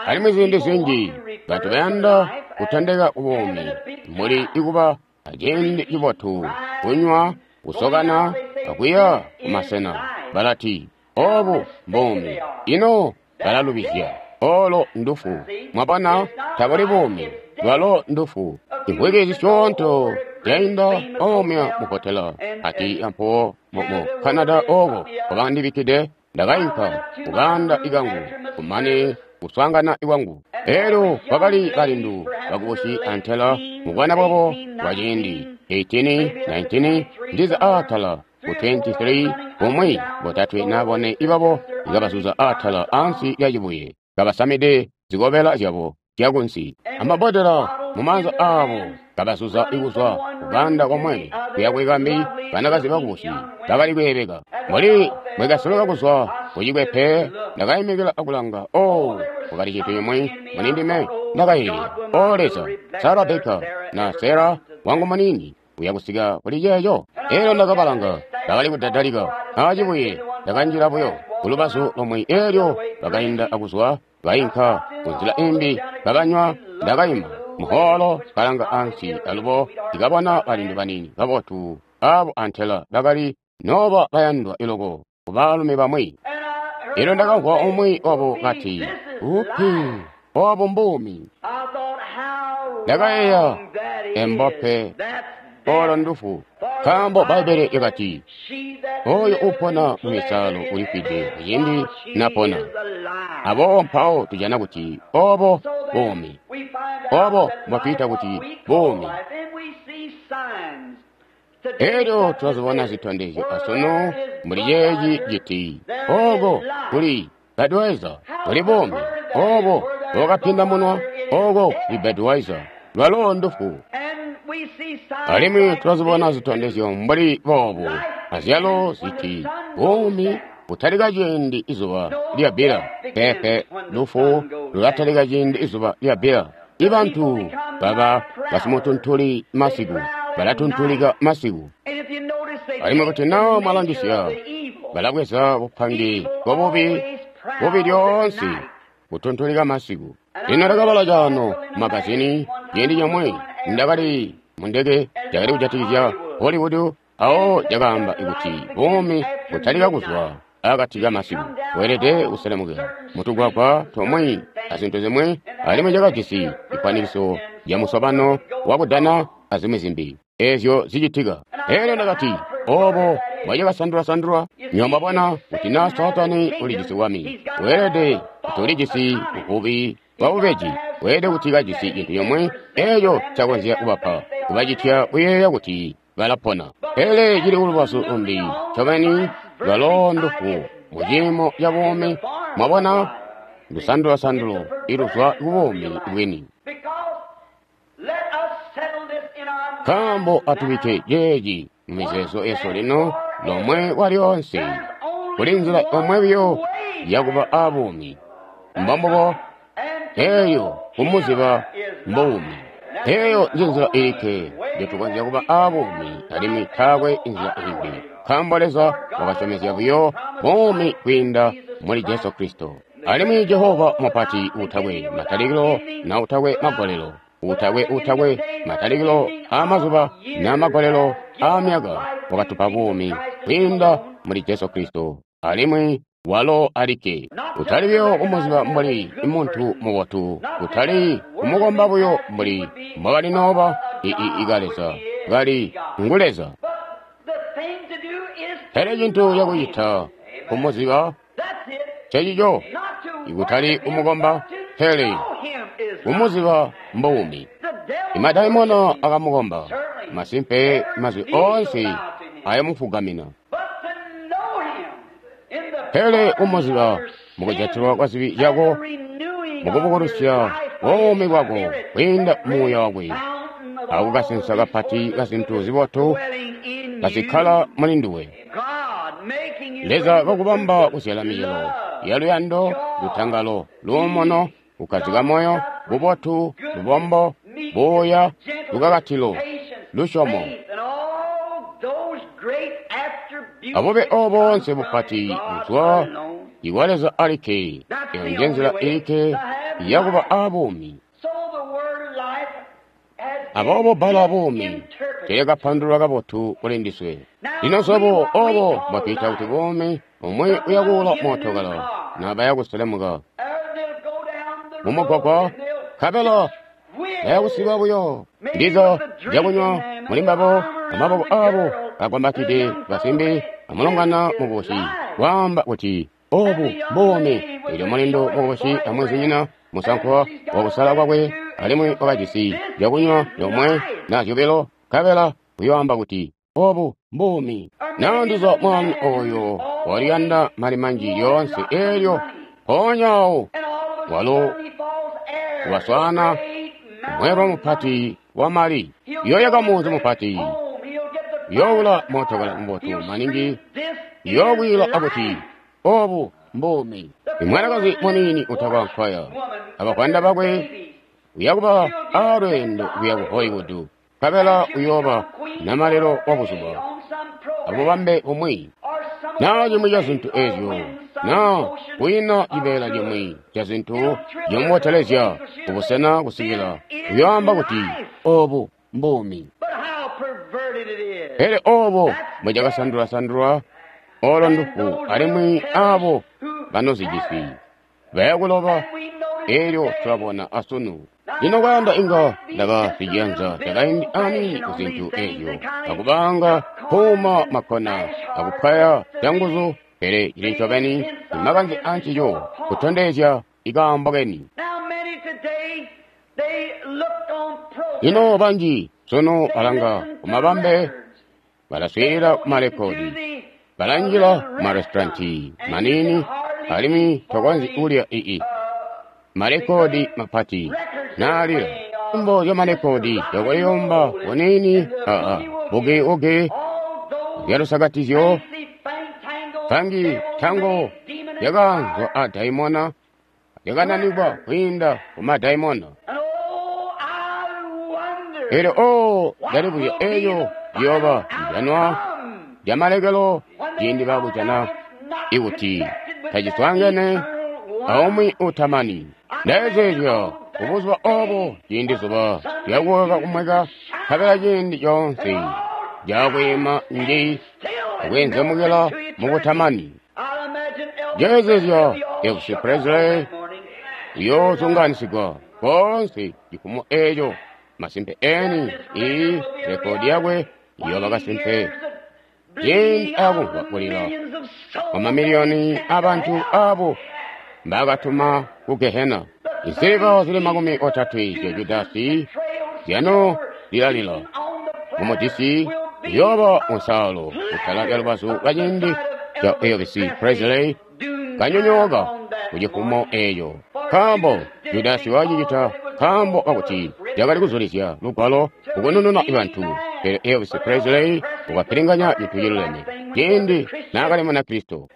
Alimwi ziindi zinji bantu bayanda kutondeka kubuumi muli ikuba aciindi cibotu, kunywa, kusokana, akuya kumasena. Balati obu mbuumi. Ino balalubizya. Olo ndufu. Mwabona, tabuli buumi, lwalo ndufu. Imvwiki zisyoonto lyainda omya mu hotela ati yampuwo mu Canada oko kwabandibikkide. Ndakainka kuganda ikangu kumane kuswaangana ikwangu. Elyo kwakali balindu bakubusi antela mubwana bwabo bwa ciindi 18, 19 ndiza aatala ku 23 bumwi botatwe na bone ibabo ikabazuza aatala ansi lya cibuye kabasamide zikobela zyabo zyakunsi amabodela mumaanza aabo kabazuza ikuzwa kuganda komwe kuya kwikambi. Banakazi bakubusi bakali kweebeka mbuli mwekasoloka kuzwa kucikwepe. Ndakayimikila akulanga. O, kwakali cintu cimwi mulindime. Ndakayeeya, O Leza, Sarah Baker na Sarah wangu munini uya kusika kuli ceeco. Elyo ndakabalanga, bakali kudadalika acibuye. Ndakanjila buyo kulubazu lomwe, elyo bakainda akuzwa bainka kunzila imbi bakanywa. Ndakaima muholo kalanga ansi alubo ndikabona balindu banini kabotu abo antela bakali noba bayandwa iloko kubaalumi bamwi. Elyo ndakamvwa umwi wabo kati, upi obo mbuumi. Ndakayeeya, embope olo ndufu, nkaambo Bbaibbele lyakati oyo upona mu misalo ulifwide kuciindi napona. Aboobo mpawo tujana kuti obo buumi, obo mbotwiita kuti buumi. Elyo tulazibona zitondezyo asunu mbuli ceeci citi oko kuli Budweiser kuli buumi, obo bwakapinda munwa oko kuli Budweiser lwalo ndufu. Alimwi tulazibona zitondezyo mbuli boobu azyalo ziti buumi butalika ciindi izuba lyabbila. Pepe, lufu lulatalika ciindi izuba lyabbila. Ibantu baba basimutuntuli masiku, balatuntulika masiku. Alimwi kuti naa mwalangisya, balabweza bupangi bwabubi, bubi lyoonse butuntulika masiku. Lino ndakabala caano magazini ciindi comwe ndakali mundeke cakali kujatikizya Hollywood, awo cakaamba kuti buumi butalika kuzwa akati kamasiku, weelede kuselemukila mutugwagwa tomwi azintu zimwi. Alimwi cakajisi cifwanikiso ca musobano wakudana azimwi zimbi ezyo zicitika. Elyo ndakati, obo bwacakasandula-sandulwa. Nywebo kuti naa Saatani ulijisi bwami, weelede kuti ulijisi buvubi bwa bubeji, weelede kuti kajisi cintu comwe eco cakonzya kubapa kubacitya kuyeeya kuti balapona. Pele cili kulubazu lumbi ncobeni lwalo ndufu mu ciimo ca buumi. Mwabona, ndusandulasandulo iluzwa kubuumi bwini. Nkaambo atubikke ceeci mumizeezo yesu lino lomwe kwalyonse, kuli nzila yomwe buyo yakuba abuumi, mbombubo eeyo kumuziba mbuumi. Eeyo njenzila ilikke njotukonzya kuba abuumi, alimwi taakwe inzila imbi, nkaambo Leza wakasyomezya buyo buumi kwiinda muli Jesu Kristo. Alimwi Jehova mupati utakwe matalikilo na utakwe magolelo, utakwe matalikilo aamazuba na magolelo aamyaka, wakatupa buumi kwiinda muli Jesu Kristo, alimwi walo alikke. Kutali buyo kumuziba mbuli muntu mubotu, kutali kumukomba buyo mbuli mbwakali nooba ikaleza kali ngu Leza. Pele cintu cakucita kumuziba cecico, ikutali kumukomba, pele kumuziba mbuumi. Imadaimona akamukomba, masimpe mazwi oonse ayamufugamina. Pele kumuziba mukujatilwa kwa zibi zyako, mukubukulusya buumi bwako kwiinda muuya wakwe, akukasensa kapati kazintu zibotu kazikkala muli nduwe. Leza kakubamba kuzyala micelo yaluyando, lutangalo, luumuno, kukkazika moyo, bubotu, lubombo, buuya, lukakatilo, lusyomo. Abube obo boonse bupati buzwa ikwa Leza alikke. Eyo njenzila ilikke yakuba abuumi. Aboobo bbala buumi teelyakapandululwa kabotu kuli ndiswe. Lino swebo obo mbwatwiita kuti buumi, umwi uyakuula mootokala nabaya kuselemuka mumugwagwa, nkabela bayakusiba buyo ndiza zyakunywa muli mbabo, amaboko abo kagwambatide basimbi, amulongana mukubusi, waamba kuti obu buumi. Elyo mulindu mukubusi amwenzinyina musankwa wakusala kwakwe, alimwi wakajisi zyakunywa yomwe na zyobilo, nkabela uyoamba kuti obu mbuumi. Na ndiza mwana oyo waliyanda mali manji lyoonse, elyo mpoonya awo walo waswaana mweelwe mupati wa mali, yoyaka munzi mupati, youla mootokala mubotu maningi, yoobwila akuti obu mbuumi. Imwanakazi muniini utakwa nkwaya abakwanda bakwe uyakuba alweendo kuya ku Hollywood, nkabela uyooba namalelo wa buzuba abubambe bumwi na cimwi ca zintu ezyo, na kwiina cibeela cimwi ca zintu cimubotelezya kubusena kusikila uyoamba kuti obu mbuumi. Pele obo mbwecakasandula-sandulwa olo ndufu, alimwi abo banozijisi bayakuloba. Elyo tulabona asunu. Lino kwayanda inga ndaba siciyanza cakaindi aniini ku zintu ezyo, akubanga kuuma makkona akupwaya canguzu, pele cili ncobeni imakanze ancico kutondezya ikaambo keni. Lino banji sunu balanga kumabambe, balaswiilila kumalekodi, balanjila kumaresitoranti maniini, alimwi tokonzyi kulya ii malekodi mapati naalila mbo zya malekodi yakuliyomba kuniini aa bugi-ugi zyalusakatizyo pangi tango zyakaanzwa a daimona zyakananikwa kwiinda ku madaimona. Elyo o ndalibuzya eyo liyooba lijanwa lyamalekelo ciindi baakujana ikuti taciswaangene aumwi utamani. Ndayezeezya kubuzuba obo ciindi zuba lyakuweka kumweka, nkabela ciindi coonse lyakwiima nji akweenzemukila mukutamani. Njeezezya Elvis Presley uyoozunganisigwa koonse cifumo eco, masimpe eni iyi rekodi yakwe iyooba kasimpe ciindi akumvwa kulila kwa mamiliyoni abantu abo mbakatuma ku Gehena. Insiliva zili 30 zya Judasi zyano lilalila mumujisi uyooba musaalo kutala lya lubazu lwa ciindi ca Elvis Presley kanyonyooka ku cifumo eco, nkaambo Judasi wacicita nkaambo kakuti lyakali kuzulizya lugwalo kukunununa bantu. Pele Elvis Presley wakapilinganya cintu ciluleme ciindi naakali Munakristo,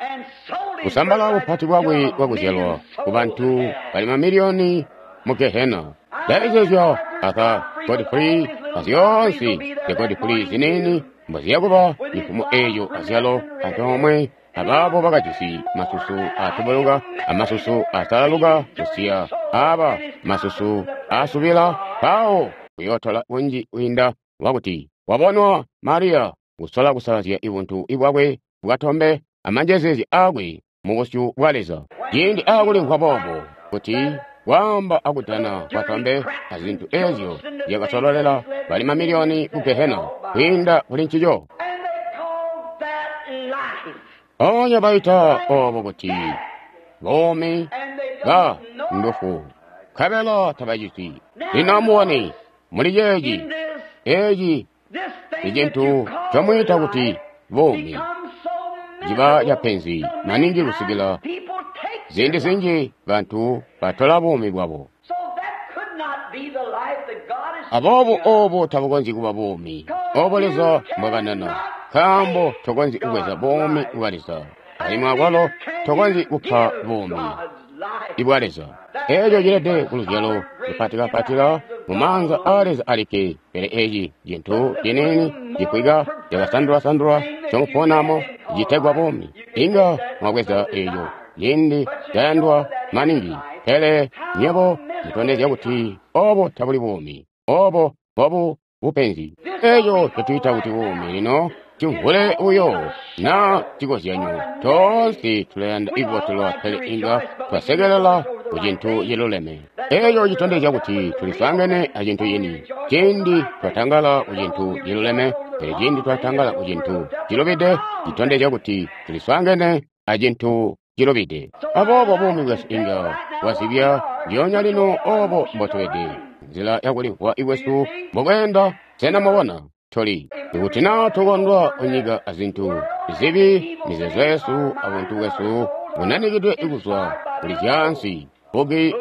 kusambala bupati bwakwe bwakuzyalwa ku bantu bali mamiliyoni mu Gehena. Ndayezeezya Arthur Godfrey azyoonse zya Godfrey ziniini mboziyakuba cifumo eco azyalo antoomwe abaabo bakajisi masusu atubuluka amasusu asalaluka kusiya aba masusu asubila, mpawo kuyootola kunji kwiinda wakuti wabonwa Mariya kusola kusalazya ibuntu bwakwe bwatombe amanjezeezya aakwe mubusyu bwa Leza. Ciindi aakulimvwa boobo kuti kwaamba akudana kwatombe azintu ezyo zyakasololela bali mamiliyoni ku Gehena kwiinda kuli ncico. Mpoonya baita obo kuti buumi ba ndufu, nkabela tabaciti. Lino amubone muli ceeci, eci icintu ncomwiita kuti buumi ciba capenzi maningi kusikila ziindi zinji bantu batola buumi bwabo. Aboobo obo tabukonzyi kuba buumi obo Leza mbwakanana, nkaambo tokonzyi kubweza buumi bwa Leza, alimwi akwalo tokonzyi kupa buumi bwa Leza. Eco cilede ku luzyalo lupatikapatila mu maanza aa Leza alikke. Pele eci cintu ciniini cifwika cakasandulwasandulwa ncomuponamo citegwa buumi, inga mwabweza eco ciindi cayandwa maningi, pele nywebo mutondezya kuti obo tabuli buumi, obo mbobu bupenzi. Eco ncotwiita kuti buumi lino cimvule buyo na cikozyanyo. Toonse tulayanda ikubotelwa, pele inga twasekelela ku cintu ciluleme. Eco citondezya kuti tuliswaangene a cintu cini. Ciindi twatangala ku cintu ciluleme, pele ciindi twatangala ku cintu cilubide, citondezya kuti tuliswaangene a cintu cilubide. Aboobo buumi bwesu inga bwazibya ndyoonya lino obo mbotubede, nzila yakulimvwa kwesu mbokweenda. Sena mwabona? Tuli. Ikuti naa tukondwa kunyika azintu zibi, mizeezo yesu abuntu bwesu bunanikidwe kuzwa kuli zyaansi, buki,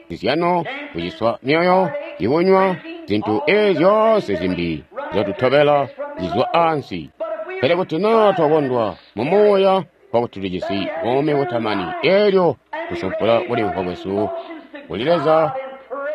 zizyano, kuciswa myoyo, ikunywa, zintu ezi zyoonse zimbi zyatutobela zizwa ansi. Pele kuti naa twakondwa mu muuya, kwakuti tulijisi buumi butamani, elyo kusumpula kulimvwa kwesu kuli Leza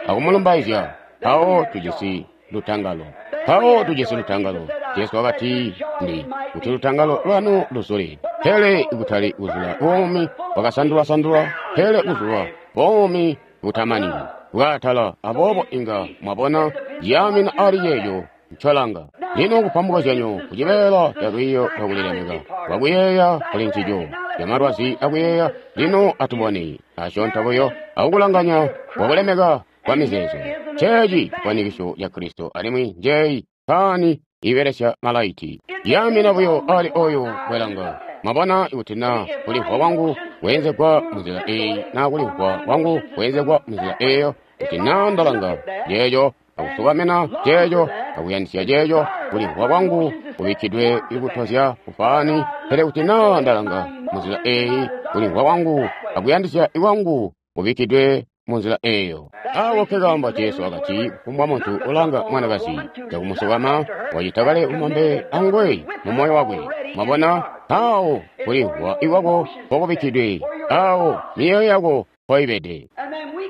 akumulumbaizya, mpawo tujisi lutangalo. Mpawo tujisi lutangalo. Jesu wakati, ndi kuti lutangalo lwanu luzule, pele kutali kuzula buumi bwakasandulwa-sandulwa, pele kuzula buumi butamani bwaatala. Aboobo inga mwabona ciyaamina ali ceeco ncolanga. Lino kupa mukozyanyo kucibeela ca lwiiyo lwakulilemeka lwakuyeeya kuli ncico camalwazi akuyeeya. Lino atubone asyoonto buyo akukulanganya kwakulemeka kwa mizeezo. Nceeci cifwanikiso ca Kristo, alimwi njeeyi paani ibelesya malaiti. Yaamina buyo ali oyo bwelanga. Mwabona, ikuti naa kulimvwa kwangu kweenzegwa munzila eyi, naa kulimvwa kwangu kweenzegwa munzila eyo, kuti naa ndalanga ceeco akusukamina ceeco akuyandisya ceeco, kulimvwa kwangu kubikkidwe ikutozya kufaani. Pele kuti naa ndalanga munzila eyi, kulimvwa kwangu akuyandisya kwangu kubikkidwe munzila eyo. Awo nkekaambo Jesu wakati, kufumbwa muntu ulanga mwanakazi cakumusukama wacita kale bumambe anguwe mu moyo wakwe. Mwabona, awo kulimvwa ikwako mpokubikkidwe, awo myoyo yako mpoibede.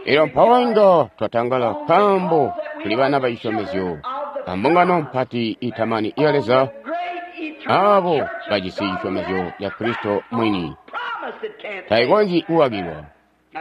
Elyo mpawo inga twatangala nkaambo tuli bana ba cisyomezyo ambungano mpati itamani ya Leza, abo bajisi cisyomezyo ca Kristo mwini. Taikonzyi kukakilwa.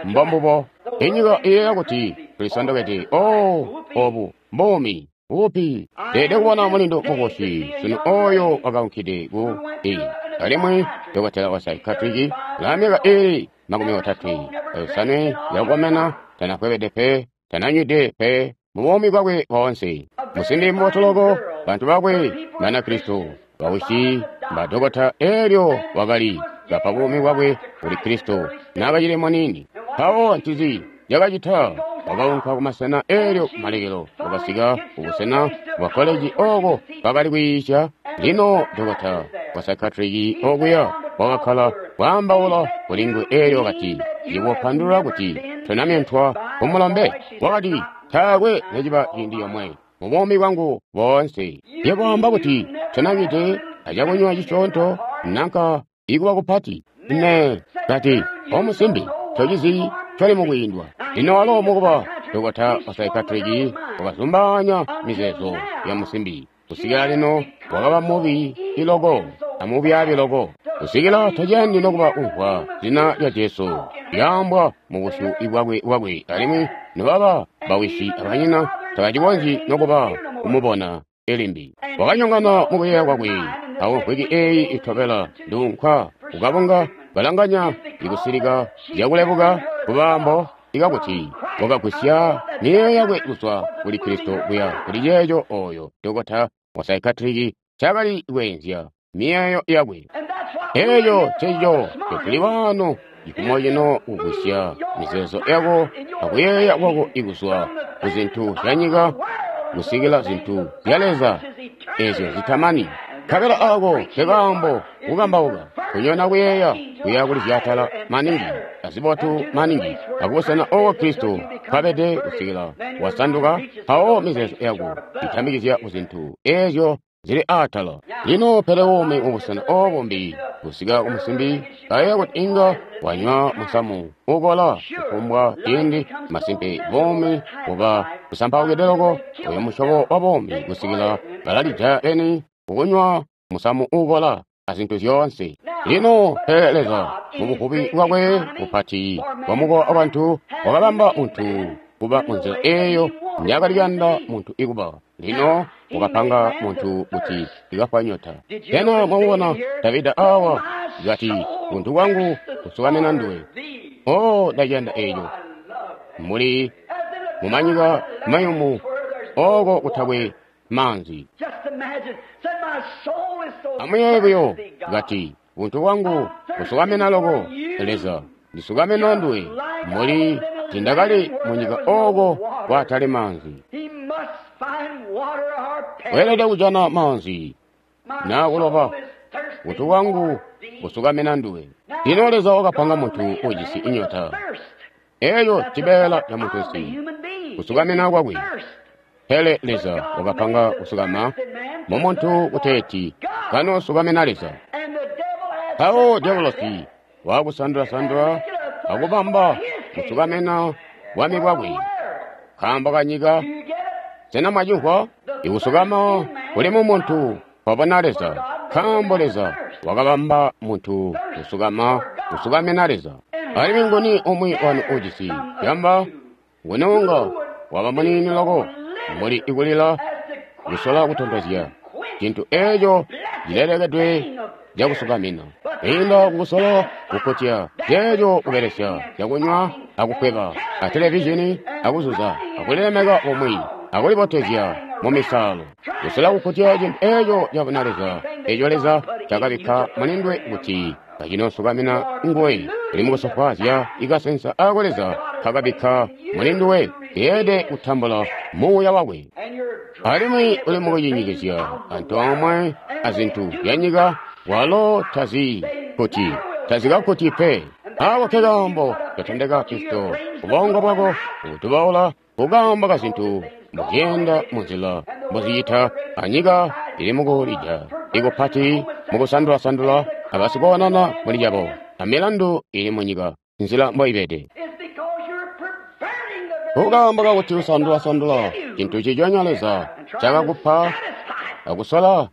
Mbombubo. Inyika iyeeya kuti tulisondokede. Oh, obu mbuumi upi. Teede kubona mulindu mukosi sunu oyo wakaunkide ku i alimwi dokotela wa psychiatric la myaka ili 35 yakukomena, tanakwebede pe, tananywide pe mu buumi bwakwe boonse. Musimbi mubotu loko, bantu bakwe Banakristo, bawisi badokota, elyo wakali bapa buumi bwakwe kuli Kristo naakacili muniini. Mpawo ncinzi cakacita? Wakaunka kumasena, elyo kumalekelo wakasika kubusena bwa koleji oko bakali kwiisya. Lino dokota wa psychiatric okuya wakakkala kwaambaula kuli nguwe, elyo wakati, "Ndikupandulula kuti tonamyentwa kumulombe." Wakati, "Taakwe neciba ciindi comwe mu buumi bwangu boonse. Yebo wamba kuti tonanywide acakunywa cisyoonto nanka ikuba kupati." Ne kati, "Omusimbi, tocizi coli mukwiindwa." Lino walo mukuba dokota wa psychiatric wakazumbaanya mizeezo ya musimbi. Kusikila lino wakaba mubi iloko amubyaabi loko, kusikila taciyandi nokuba kumvwa zina lya Jesu lyaambwa mu busyu bwakwe, alimwi nobaba bawisi abanyina tabacikonzyi nokuba kumubona elimbi. Wakanyongana mukuyeeya kwakwe. Awo mvwiki eyi itobela nduunka kukabunga balanganya ikusilika zyakulebuka kubaambo ikakuti wakagwisya miyeeyo yakwe kuzwa kuli Kristo kuya kuli ceeco oyo dokota wa psychiatric cakali kweenzya miyeeyo yakwe. Eeco ncencico ncotuli waano cifumo cino, kugwisya mizeezo yako akuyeeya kwako ikuzwa ku zintu zya nyika kusikila zintu zya Leza ezyo zitamani. Nkabela ako nkekaambo kukambauka kunyona kuyeeya kuya kuli zyatala maningi azibotu maningi akubusena oko Kristo nkwabede kusikila wasanduka, mpawo mizeezo yako itambikizya ku zintu ezyo zili aatala. Lino pele buumi mubusena obo mbi kusika kumusimbi kayeeya kuti inga wanywa musamu ukola kufumbwa ciindi. Masimpe buumi buba busampaukide loko, oyo musyobo wa buumi, kusikila balalija beni kukunywa musamu ukola azintu zyoonse. Lino pele Leza mu buvubi bwakwe bupati bwa mukowa wa bantu wakabamba muntu kuba munzila eyo njakali kuyanda muntu ikuba. Lino wakapanga muntu kuti ikafwa nyota. Sena mwamubona Davida awa kati, buntu bwangu busukamina nduwe. Oh, ndaciyanda eco. Muli mumanyika mayumu oko kutakwe maanzi. Amuyeeye buyo kati, buntu bwangu busukamina loko Leza, ndisukamina nduwe. Muli tindakali munyika oko kwatali maanzi. Weelede kujana maanzi naa kuloba. Buntu bwangu busukamina nduwe. Lino Leza wakapanga muntu ujisi inyota. Eyo cibeela ca muntunsi, kusukamina kwakwe. Pele Leza wakapanga kusukama mu muntu kuteeti kanosukamina Leza. Mpawo Diabolosi wakusandula-sandula akubamba kusukamina bwami bwakwe nkaambo kanyika. Sena mwacimvwa? Ikusukama kuli mu muntu kwabona Leza, nkaambo Leza wakabamba muntu kusukama kusukamina Leza. Alimwi nguni umwi wanu ujisi yamba? Nguni unga waba muniini loko mbuli ikulila kusola kutontozya cintu eco cilelekedwe cakusukamina, kwiinda kukusola kukkutya ceeco kubelesya cakunywa akukweba a televizhini akuzuza akulilemeka bumwi akulibotezya mumisaalo, kusola kukkutya cintu eco cabuna Leza eco Leza cakabikka mulindwe kuti kacinosukamina nguwe. Uli mukusofwaazya ikasensa ako Leza kakabikka mulinduwe keelede kutambula muuya wakwe. Alimwi uli mukucinyikizya antoomwe azintu zyanyika, walo tazi kuti tazikakkuti pe. Ako ke kaambo katondeka Kristo ubongo bwako ukutubaula kukaambo kazintu mbuzyenda munzila mbuzicita anyika ili mukulija ikupati mukusandula-sandula abasikoonana muli cabo amilandu ili munyika nzila mboibede. Kukaambo kakuti usandula-sandula cintu ciconya Leza cakakupa akusola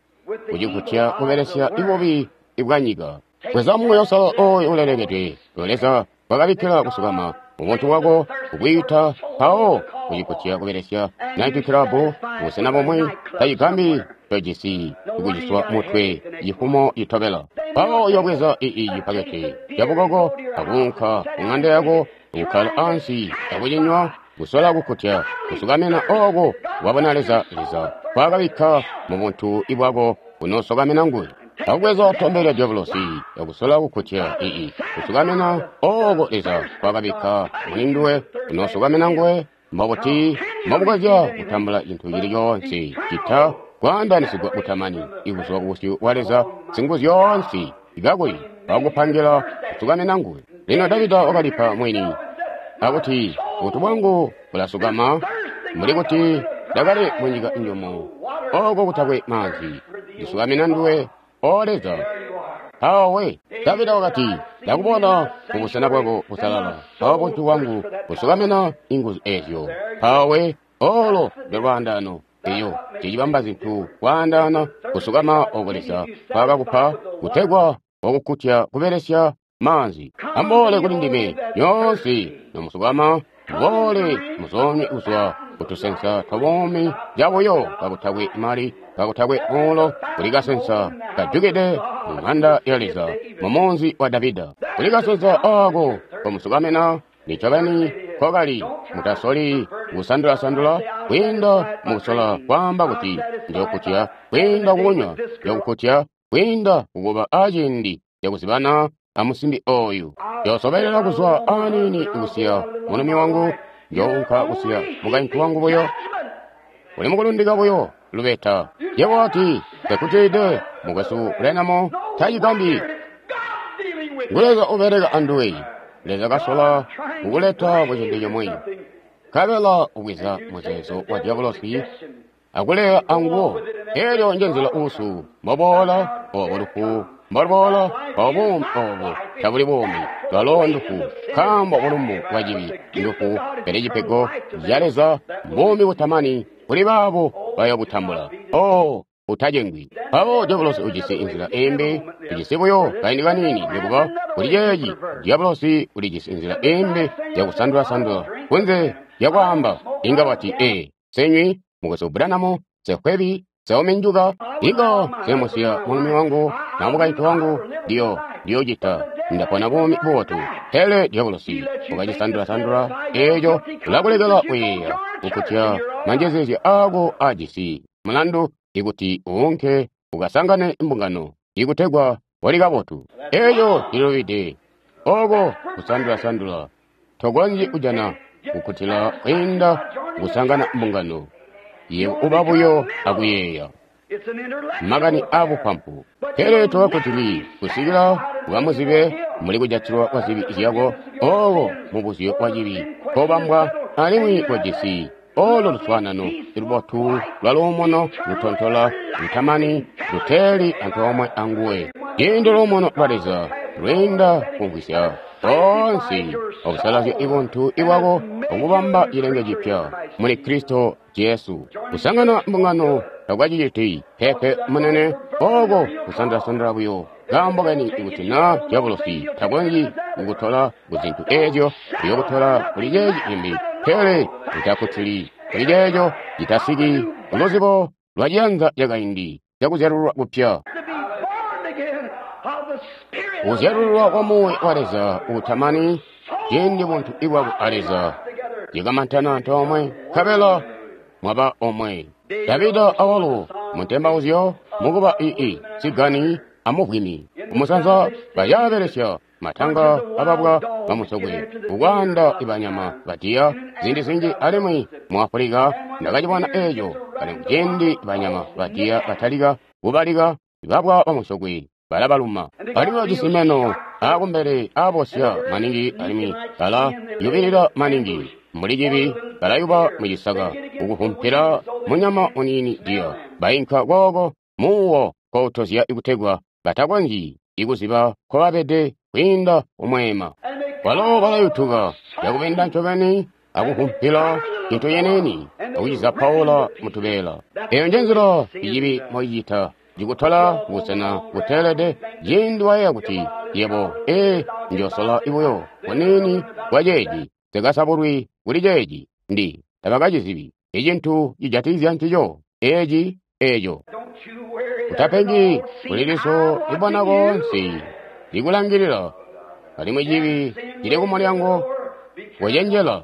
kucikutya kubelesya ibubi ibwanyika. Bweza muuya usalala ooyo ulelekedwe Leza wakabikkila kusukama ubuntu bwako kukwiita mpawo kucikutya kubelesya night club busena bumwi tacigambi tojisi kuciswa mutwe cifumo citobela. Mpawo uyobweza ii cipakete cabukoko akuunka kuŋanda yako akukkala ansi akucinywa kusola kukkutya kusukamina ooko wabona Leza Leza kwakabikka mubuntu ibwako kunosukamina nguwe. Akubweza tombe lya Diabolosi akusola kukkutya ii kusukamina ooko Leza kwakabikka mulinduwe kunosukamina nguwe. Mbobuti mbomukonzya kutambula cintu cili coonse cita kwaandanisigwa kutamani ikuzwa kubusyu bwa Leza Singuzyoonse kakuli wakupangila kusukamina nguwe. Lino Davida wakalipa mwini akuti buntu bwangu bulasukama mbuli kuti ndakali munyika njumu oko kutakwe maanzi, ndisukamina nduwe, O Leza. Mpawo Davida wakati, ndakubona mubusena bwako busalala, mpawo buntu bwangu busukamina inguzu ezyo. Mpawo olo ndolwaandano eyo cicibamba zintu kwaandaana kusukama oko Leza kwakakupa kutegwa wakukkutya kubelesya maanzi. Amboole kuli ndime nyoonse nomusukama, muboole muzoonywe kuzwa kutusensa twabuumi cabuyo kakutakwe mali kakutakwe muulo. Kuli kasensa kajukide mu ŋanda ya Leza mumunzi wa Davida. Kuli kasensa aako komusukamina nicobeni kokali. Mutasoli kusandula-sandula kwiinda mukusola kwaamba kuti njokkutya kwiinda kukunywa, njokukkutya kwiinda kukuba aciindi cakuzibana amusimbi oyu. Njoosobelela kuzwa aniini kusiya mulumi wangu, njounka kusiya mukaintu wangu buyo. Uli mukulundika buyo lubeta. Yebo wati, "Nsekutide mukwesu Branham, tacigambi." Ngu Leza ubeleka anduwe. Leza kasola kukuleta kucintu cimwi, nkabela ubweza muzeezo wa Diabolosi akuleya anguwo. Elyo njenzila usu mboboola, obo lufu mboluboola, obo buumi obo tabuli buumi, lwalo ndufu, nkaambo bulumbu bwa cibi ndufu, pele cipego ca Leza mbuumi butamani kuli baabo bayobutambula. Oh, utacengwi. Mpawo Diabolosi ujisi inzila imbi, ujisi buyo kaindi kaniini nikuba kuli ceeci. Diabolosi ulijisi inzila imbi yakusandula-sandula kunze zyakwaamba. Inga wati, ee, nsenywi, Mukwesu Branham, nse nse Inga nsemusiya mulumi wangu na mukaintu wangu, ndiyo cita. Ndapona buumi bubotu. Pele dyabulosi wakacisandula-sandula eeco, ulakulekela kuyeeya kukutya manjezeezya aako aajisi mulandu ikuti uunke ukasangane mbungano ikutegwa wali kabotu. Eeco cilubide. Oko kusandula-sandula tokonzyi kujana kukkutila kwiinda kusangana mbungano. Yebo uba buyo akuyeeya makani aabupampu. Pele tokakkutili kusikila ukamuzibe muli kujatilwa kwa zibi zyako, oko mubuzyo wa cibi kobambwa alimwi kojisi olo luswaanano lubotu lwa luumuno lutontola lutamani luteeli antoomwe anguwe. Ciindi luumuno lwa Leza lwiinda kumvwisya koonse okusalazya ibuntu ibwako okubamba cilenge cipya muli Kristo Jesu. Kusangana mbungano takwaciciti pepe munene, oko kusandulasandula buyo. Kaambo keni ikuti naa dyabulosi takonzyi kukutola kuzintu eezyo, uyokutola kuli ceeci cimbi, pele utakkutili kuli ceeco citasiki kuluzibo lwa ciyanza cakaindi cakuzyalululwa kupya. Kuzyalululwa kwa Muuya wa Leza uutamani, ciindi buntu ibwako a Leza cikamantana antoomwe, nkabela mwaba omwe. Davida awalo muntembauzyo mukuba ii sigani amuvwimi kumusanza bayaabelesya matanga ababwa bamusokwe kukwaanda ibanyama badiya ziindi zinji, alimwi mu Afulika ndakacibona eeco. Alimwi ciindi banyama badiya batalika kubalika, babwa bamusokwe balabaluma. Alimwi bajisi meno aakumbele aabosya maningi, alimwi balayubilila maningi mbuli cibi, balayuba mucisaka ukuvumpila munyama muniini diya. Bainka kooko muuwo koutozya ikutegwa batakonzyi ikuziba nkobabede kwiinda kumweema. Balo balayutuka cakubinda ncobeni akuvumpila cintu ciniini akucizapaula mutubeela. Eyo njenzila icibi moicita, cikutola kubusena buteelede ciindi wayeeya kuti yebo, ee, njoosola buyo kuniini kwa ceeci, nsikasabulwi kuli ceeci, ndi tabakacizibi icintu cijatikizya ncico eeci eeco. Utapengi kuli liso libona koonse likulangilila, alimwi cibi cili kumulyango wacenjela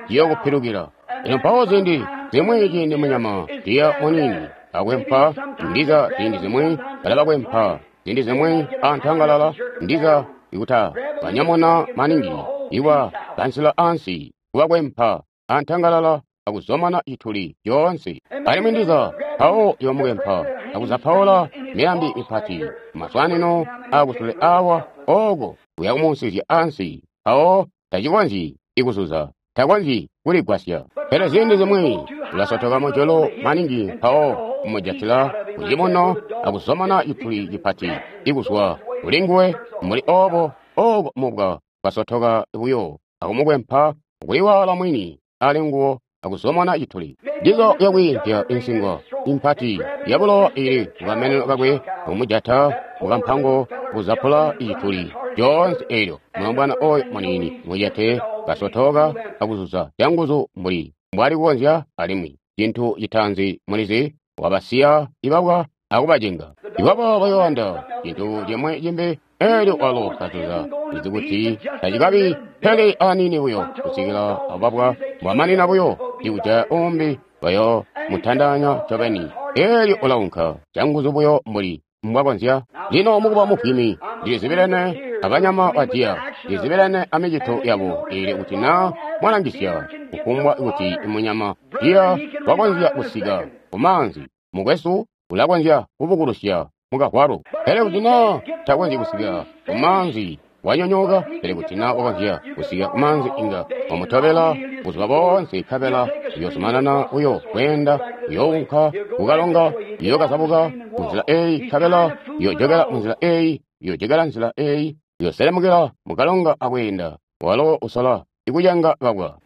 ciyokupilukila. Ino mpawo ziindi zimwi ciindi munyama diya muniini akwempa, ndiza ziindi zimwi balabakwempa, ziindi zimwi antangalala, ndiza ikuta banyamuna maningi iwa kansila ansi kubakwempa antangalala akuzomana cituli coonse. Alimwi ndiza mpawo yomukwempa akuzapaula miyambi mipati maswanino akusule awa oko uyakumuusizya ansi, mpawo tacikonzyi ikuzuza, takonzyi kuligwasya. Pele ziindi zimwi ulasotoka mujolo maningi, mpawo kumujatila kucibuno akuzomana cituli cipati ikuzwa kulinguwe. Mbuli obo oko mubwa kwasotoka buyo akumukwempa kuliwaala mwini ali nguwo akuzomona cituli. Ndizo yakwiimpya insingo impati yabulowa ili kukameneno kakwe kumujata mukampango kuzapula icituli coonse eelyo. Mulombwana oyo muniini mujate kasotoka akuzuza canguzu mbuli mbwali kukonzya, alimwi cintu citaanzi mulizi wabasiya ibabwa akubacenga. Ibabwa bayoanda cintu cimwe cimbi, eelyo walo kazuza izi kuti tacikabi pele aniini buyo kusikila ababwa mbwamanina buyo ikujaya umbi bayo mutandanya ncobeni. Eelyo ulaunka canguzu buyo mbuli mbwakonzya. Lino mukuba muvwimi ndilizibilene abanyama badiya, ndilizibilene amicito yabo, ili kuti naa mwalangisya kufumbwa kuti munyama diya wakonzya kusika kumaanzi, mukwesu ulakonzya kubukulusya mukahwalo. Pele kuti naa takonzyi kusika kumaanzi wanyonyooka, pele kuti naa wakonzya kusika kumaanzi inga wamutobela buzuba boonse, nkabela uyoozumanana buyo kweenda, uyounka kukalonga, uyookazabuka munzila eeyi, nkabela uyoojokela munzila eeyi, uyoojokela nzila eeyi, uyooselemukila mukalonga akweenda. Walo usola ikucenga babwa.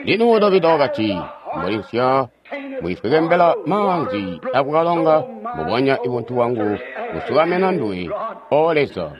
Lino Davida wakati, mbuli nsya mwifwekembela maanzi akukalonga, mbubonya ibuntu bwangu busukamena nduwe, O Leza.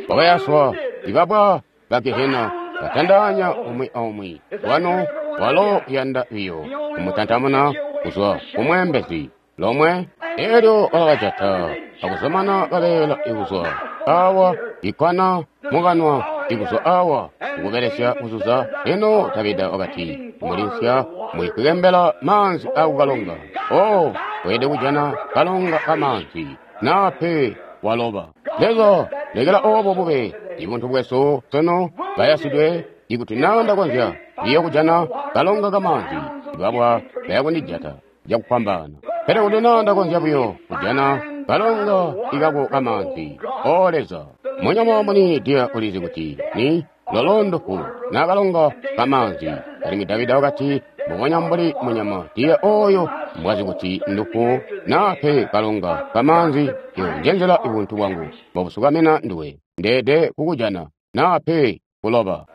Wakayaswa ibabwa ba Gehena batandaanya umwi aumwi wanu. Walo uyanda biyo kumutantamuna kuzwa kumweembezi lomwe. Elyo balabajata akuzomana kabeela ikuzwa awa ikkwana mukanwa ikuzwa awa ukubelesya kuzuza. Lino Davida wakati, mulinsya mwikukembela maanzi akukalonga. O, weelede kujana kalonga kamaanzi naa pe waloba. Leza, lekela obo bube ibuntu bwesu sunu bayasidwe. Ikuti naa ndakonzya biyo kujana kalonga kamaanzi, ibabwa bayakundijata cakufwambaana. Pele kuti naa ndakonzya buyo kujana kalonga ikako kamaanzi, O Leza. Munyama muniini diya ulizi kuti ni lolo ndufu naa kalonga kamaanzi. Alimwi Davida wakati, mbubonya mbuli munyama diya oyo mbwazi kuti ndufu naa pe kalonga kamaanzi, iyo njenzela ibuntu bwangu mbobusukamina nduwe. Ndeede kukujana naa pe kuloba.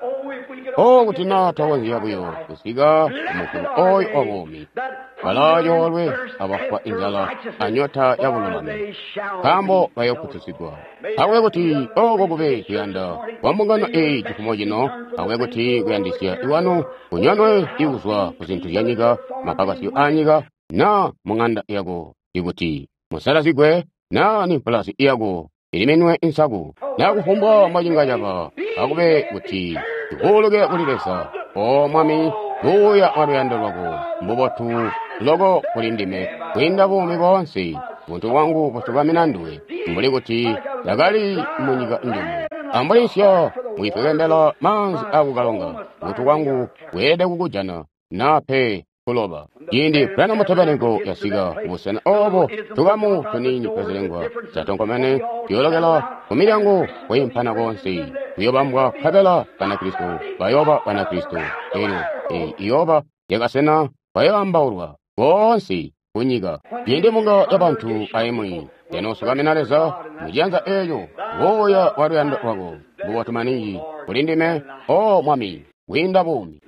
O, kuti naa twakonzya buyo kusika kumukulu oyo wa buumi. Balaayoolwe abafwa inzala anyota ya bululami, nkaambo bayookutisigwa. Akube kuti oko kube kuyanda kwa mbungano eyi cifumo cino. Akube kuti kuyandisya iwanu kunyonwe ikuzwa ku zintu zya nyika, mapakasyo a nyika, naa mu ŋanda yako, ikuti musalazigwe, naa ni mpulasi yako iliminwe insaku, naa kufumbwa mwacinga caba. Akube kuti tukuuluke kuli Leza. O Mwami, buuya bwa luyando lwako mbubotu loko kuli ndime kwiinda buumi boonse. Buntu bwangu busukamina nduwe mbuli kuti ndakali munyika njumu. Ambulisya mwifwekembela maanzi akukalonga. Buntu bwangu bweelede kukujana naa pe kuloba. Ciindi Branham Tabernacle yasika kubusena obo, tukamu tuniini twazilengwa zyatonkomene tuyoolokela kumilyango kwiimpana koonse, kuyobambwa nkabela Banakristo bayooba Banakristo. Elyo eyi iyooba yakasena bayoambaulwa boonse kunyika. Ciindi mbunga ya bantu aimwi yanoosukamina Leza muciyanza eeco, buuya bwa luyando lwako mbubotu maningi kuli ndime, O Mwami, kwiinda buumi.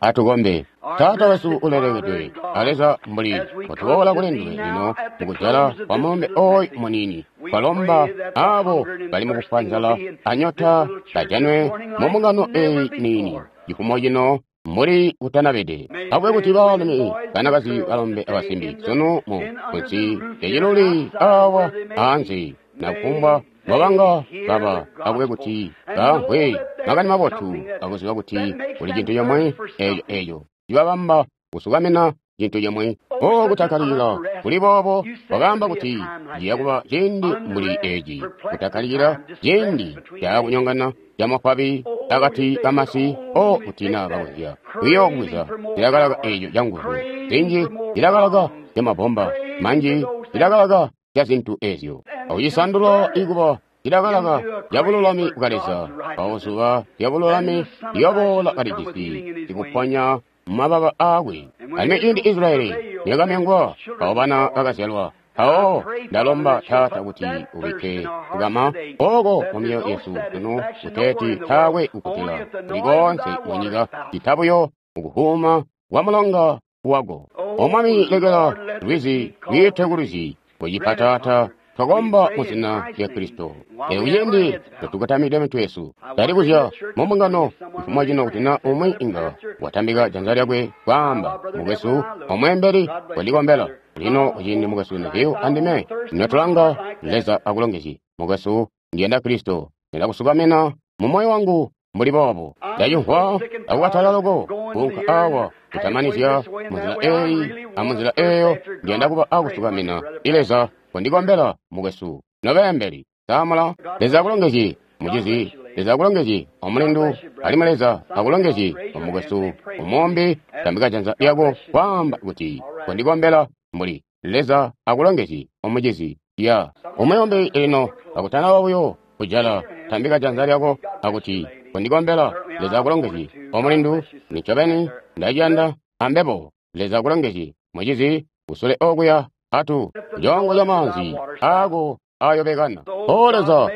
Atukombe. Taata wesu ulelekedwe a Leza, mbuli mbotuboola kuli nduwe lino mukujala kwa mulumbe oyu muniini, twalomba abo bali mukufwa nzala anyota bajanwe mu mbungano eyi niini cifumo cino mbuli kutanabede. Akube kuti baalumi, banakazi, balombe abasimbi sunu mu kunsi lyaciluli awa aanze, na kufumbwa mbobanga baba, akube kuti bamvwe makani mabotu akuziba kuti kuli cintu comwe eeco eeco cibabamba kusukamina cintu comwe. O, kutakkalilila kuli boobo, wakaamba kuti ciya kuba ciindi mbuli eci, kutakkalilila, ciindi cakunyongana camafwabi akati kamasi. O, kuti naa bakonzya kuyo kubweza cilakalaka eeco canguzu zinji, cilakalaka camabomba manji, cilakalaka ca zintu ezyo, akucisandula ikuba cilakalaka ca bululami bwa Leza. Mpawo zuba lya bululami liyoboola kalijisi ikuponya mumababa aakwe. Alimwi ciindi Israyeli niyakamyongwa, mpawo bana bakazyalwa. Mpawo ndalomba, Taata, kuti ubikke kukama oko mu myoyo yesu sunu, kuteeti taakwe kukkutila kuli koonse munyika cita buyo mukuhuuma kwa mulonga wako. O Mwami, lekela lwizi lwiite ku lwizi kucipa. Taata, twakomba mu zina lya Kristo. Elyo kuciindi notukotamide mitwe yesu, ndalikuzya mu mbungano cifumo cino kuti na umwi inga watambika janza lyakwe kwaamba, mukwesu omweembeli, kondikombela. Lino kuciindi mukwesu Neville andime notulanga, Leza akulongezye, mukwesu. Ndiyanda Kristo, ndiyanda kusukamina mu moyo wangu mbuli boobo. Ndacimvwa akukatala loko kuunka awa kutamanizya munzila eyi amunzila eyo. Ndiyanda kuba akusukamina i Leza. Kondikombela, mukwesu. Nobeembeli samula. Leza akulongezye, mucizi. Leza akulongezye, omulindu. Alimwi Leza akulongezye, omukwesu omombi. Tambika janza lyako kwaamba kuti, kondikombela. Mbuli Leza akulongezye, omucizi. Ya umuyombi lino akutanaba buyo kujala, tambika janza lyako akuti, kondikombela. Leza akulongezye, omulindu. Nincobeni ndaciyanda ambebo. Leza akulongezye, mucizi, kusule okuya. Atu congo ca maanzi ako ayobekana. O Leza,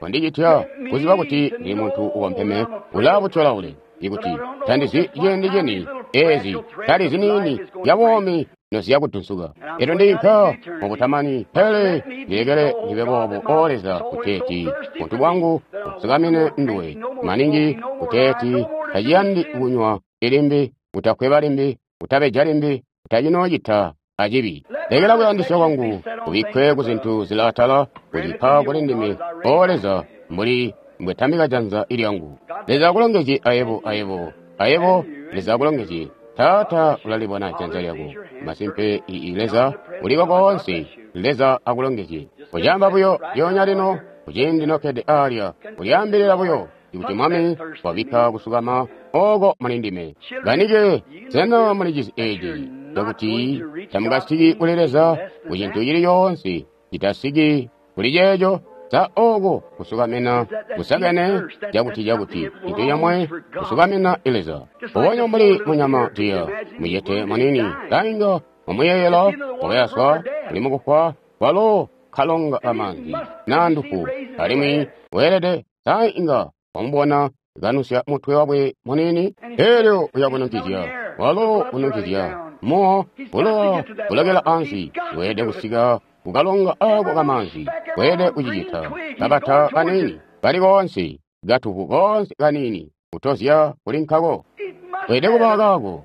wandicitya kuziba kuti ndili muntu ukompeme ulaabutyolaule, ikuti tandizi ciindi cini ezi tali ziniini zya buumi noziya kudunsuka. Elyo ndiinka mubutamani, pele ndilekele ndibe boobo, O Leza, kuteeti buntu bwangu busukamine nduwe maningi, kuteeti taciyandi kunywa limbi, kutakweba limbi, kutabeja limbi, kutacinoocita acibi. Lekela kuyandisya kwangu kubikkwe ku zintu zilaatala, kucipa kuli ndime, O Leza, mbuli mbwetambika janza lyangu. Leza akulongezye ayebo, ayebo, ayebo. Leza akulongezye. Taata ulalibona janza lyako. Masimpe, ii Leza uliko koonse. Leza akulongezye. Kucaamba buyo lyoonya lino, kuciindi nokkede aalya, kulyaambilila buyo ikuti Mwami wabikka kusukama oko muli ndime. Banike, sena mulicizi eeci cakuti tamukasiki kuli Leza ku cintu cili coonse citasiki kuli ceeco? Sa oko kusukamina kusakene cakuti cakuti cintu comwe kusukamina Leza. Mbubonya mbuli munyama diya mucete munini kainga mumuyeyelo wakayaswa uli mukufwa kwalo kalonga kamanzi naa ndufu, alimwi weelede sa inga wamubona kanusya mutwe wakwe munini, elyo uyakununkizya, walo ununkizya muwo bulowa bulokela ansi. Weelede kusika kukalonga ako kamanzi, weelede kucicita kabata kanini kali koonse, katuvu koonse kanini kutozya kuli nkako, weelede kuba kaako.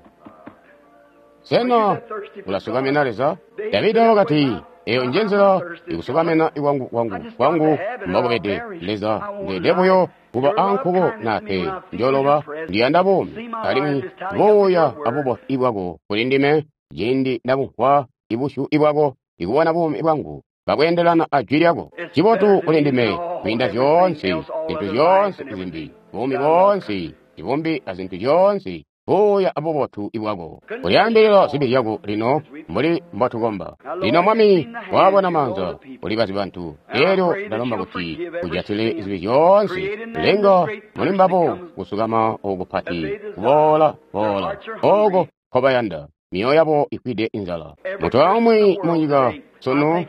Sena ulasukamina Leza? Davida wakati, eyo nje nzila ikusukamina kwangu kwangu kwangu mbokubede. Leza, ndeede buyo kuba ankuko nape njoloba ndiyanda buumi, alimwi buuya abubotu bwako kuli ndime ciindi ndabumvwa ibusyu bwako, ikubona buumi bwangu kabweendelana a jwi lyako. Cibotu kuli ndime kwiinda zyoonse zintu zyoonse zimbi, buumi boonse ibumbi azintu zyoonse, buuya abubotu bwako. Kulyaambilila zibi zyako lino mbuli mbotukomba. Lino Mwami wabona maanza, ulibazi bantu, elyo ndalomba kuti ujatile zibi zyoonse, lenga muli mbabo kusukama oku kupati, kuboola boola oko nkobayanda, myoyo yabo ifwide inzala. Muntu aumwi munyika sunu,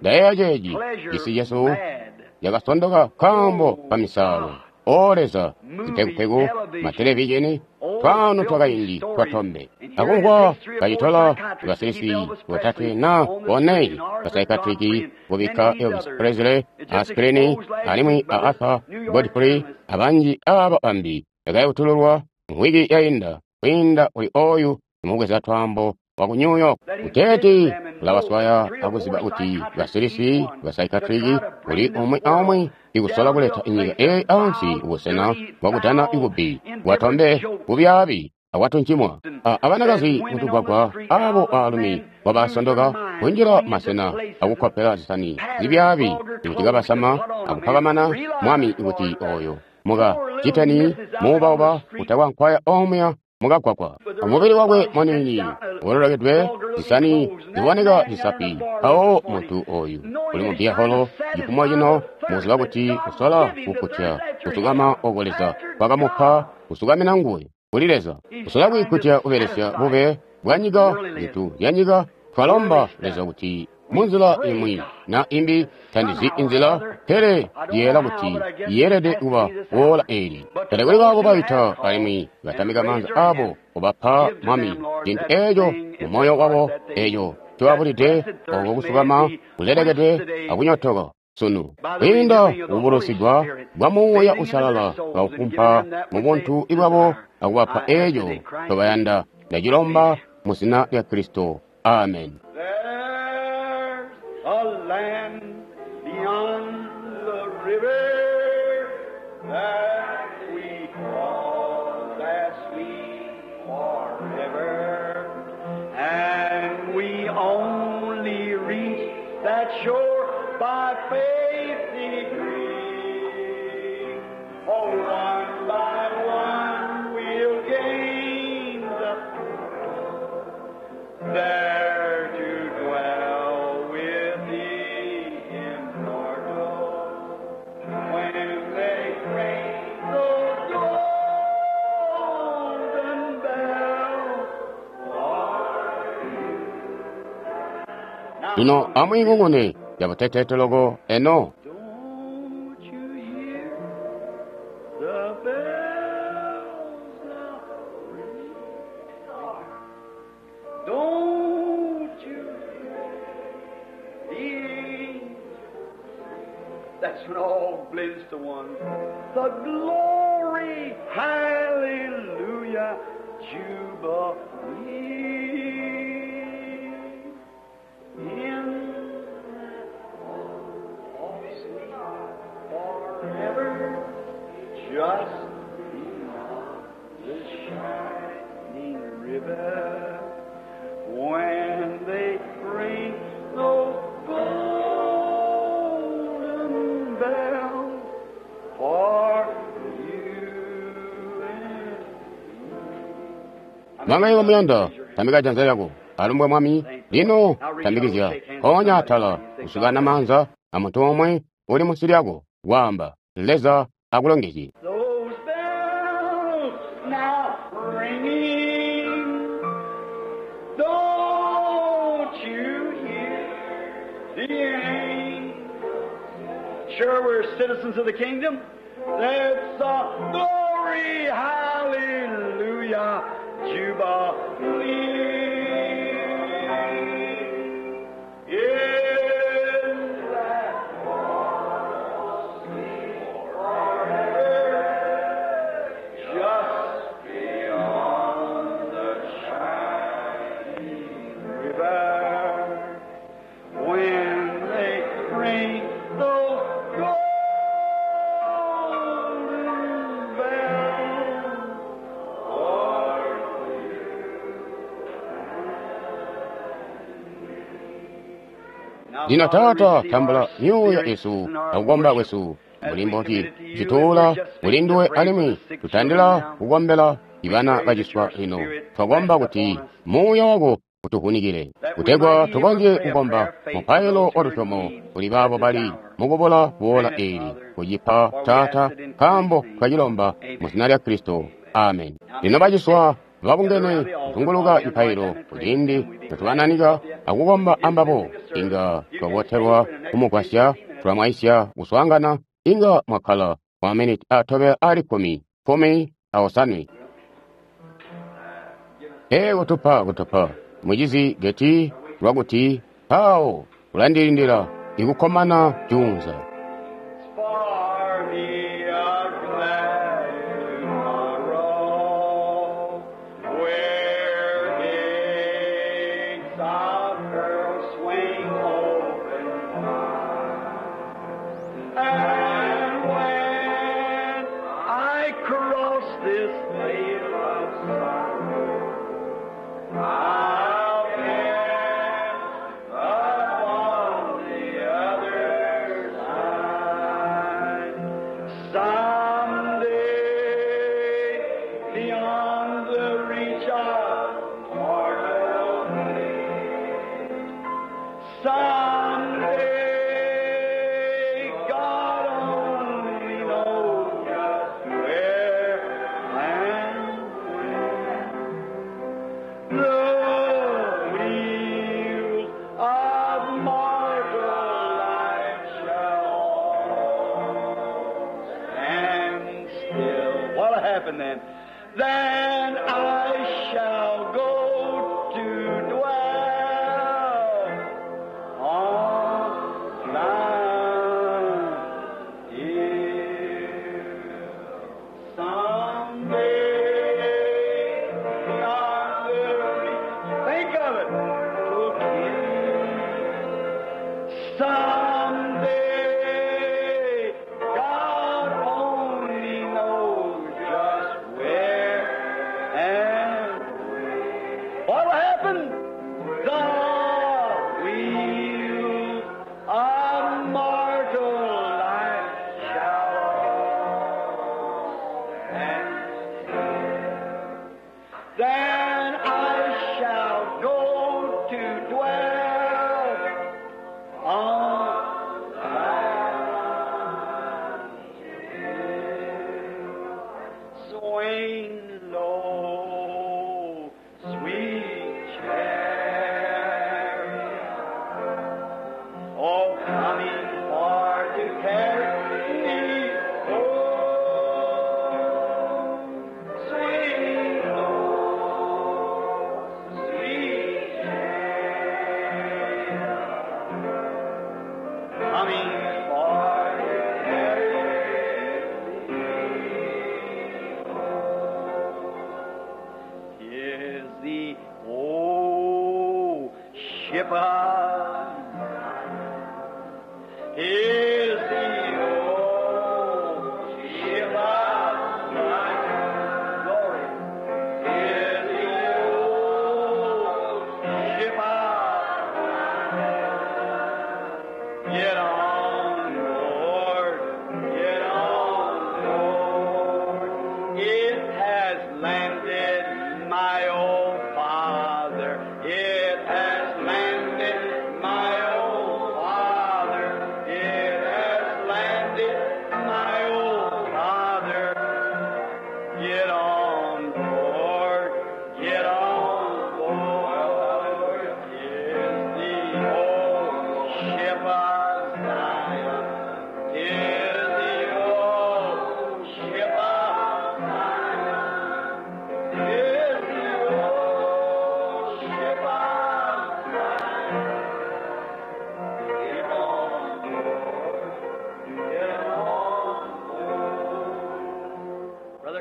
ndayeeya ceeci, cisi cesu yakasondoka nkaambo kamisaalo. O Leza, zipekupeku, matelevizheni, twaano twakaindi twatombe. Akumvwa kacitola basilisi botatwe na bone basaikatriki kubikka Elvis Presley, aspirini, alimwi a Arthur Godfrey abanji aba bambi yakayutululwa mwiki yainda kwiinda kuli oyu imubweza twaambo waku New York. Kuteeti ulabaswaya akuziba kuti basilisi basaikatriki kuli umwi aumwi ikusola kuleta inyika eyi ansi ubusena bwakutana ikubbi bwatombe bubyaabi akwatuncimwa. Abanakazi mutugwagwa abo baalumi bwabasondoka kunjila masena akukkopela zisani zibyaabi ikuti kabasama akupakamana. Mwami ikuti oyo muka citeni muubauba kutakwa nkwaya omuya mukagwagwa. Umubili wakwe munini wololokedwe zisani ziboneka zisapi. Awo muntu oyu uli mu biyaholo cifumo cino muziba kuti kusola kukkutya kusukama oko Leza kwakamupa kusukamina nguwe kuli Leza, kusola kwikkutya kubelesya bube bwa nyika, zintu zya nyika. Twalomba Leza kuti munzila imwi na imbi, tandizi inzila, pele ndiyeela kuti yeelede kuba woola eeli. Pele kuli baabo baita alimwi batamika maanza abo kubapa Mwami cintu eeco mu moyo wabo eeco ncobabulide, oko kusukama kulelekedwe akunyotoka sunu kwiinda kubulusigwa bwa Muuya Uusalala kaufumpa mu buntu bwabo akubapa eeco ncobayanda. Ndacilomba mu zina lya Kristo. Amen. There's a land beyond the river that we call that sweet forever, and we only reach that shore by faith degree. Oh, one by one we'll gain the there to dwell with the immortal. When they ring the golden bell for you. Lino amwiingungune yabuteteete loko eno. Don't you hear the bells now ring? Don't you hear the angels? That's when all blends to one. The glory, hallelujah. Hallelujah, Jubilee. In forever, just beyond the shining river, when they ring those golden bells for you and Mwami wamuyanda, tambika janza lyako. Alumbwe Mwami, lino tambikizya. Mpoonya atala, kusukana maanza amuntu omwe uli munsi lyako. Waamba, Leza akulongezye. Those bells now ringing, don't you hear the angels? Sure, we're citizens of the kingdom. That's a glory, hallelujah, jubilee. In that just beyond the shining river, when they ring those golden bells for Lino Taata tambula myuuya yesu akukomba kwesu mbuli mboti cituula kulinduwe alimwi tutandila kukombela ibana baciswa lino. Twakomba kuti muuya wako utuvunikile kutegwa tukonzye kukomba mupailo wa lusyomo kuli baabo bali mukubula boola eeli kucipa Taata nkaambo twacilomba mu zina lya Kristo. Amen. Lino baciswa babungene kuzunguluka cipailo kuciindi notubananika akukomba ambabo inga twabotelwa kumugwasya tulamwaisya kuswaangana inga mwakkala kwa maminiti atobela ali kkumi, 17. Ee kutupa kutupa mucizi geti lwakuti mpawo ulandilindila ikukkomana juunza. For me a glad tomorrow, where gates of pearl swing open wide. And when I cross this vale of sorrow, I'll pass upon the other side. Someday, beyond the reach of mortal man, someday, God only knows just where and when. The wheels of mortal life shall stand still. What'll happen then? Then I shall go to dwell on Mount Hill. Someday, beyond the reach, think of it. Someday, God only knows just where and when. What will happen? The wheels of mortal life shall stand still. Then I shall go to dwell on Mount Hill. Swing low, sweet chariot. the old ship of is the old ship of Zion. Glory. Is the old ship of Zion. Get on board, get on board. It has landed my old father. It has landed my old father. It has landed my old father. Get on board, get on board. Is the old ship of Zion. Is the old ship of Zion. Is the old ship of Zion. Get on board, get on board.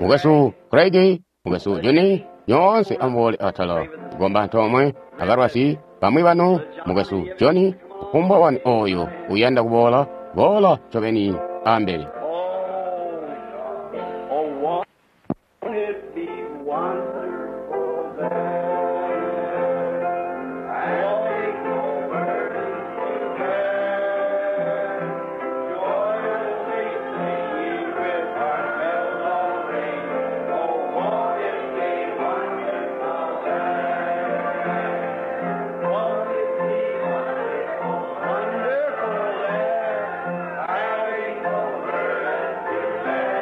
Mukwesu Craig, mukwesu Johnny, nyoonse amuboole atala. Kukomba antoomwe, abalwazi, bamwi banu, mukwesu Johnny, kufumbwa wanu oyo uyanda kuboola, boola ncobeni ambele. Oh, oh, won't it be wonderful there? Walking over to bear, joyously singing with our bells all ring. Oh, won't it be wonderful there? Won't it be wonderful, wonderful there? Having over to bear,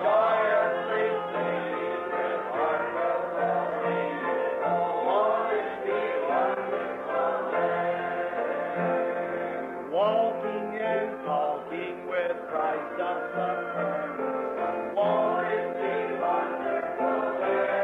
joyously singing with our bells all ring. Oh, won't it be wonderful there? Walking and talking with Christ of the furnace. Won't it be wonderful there?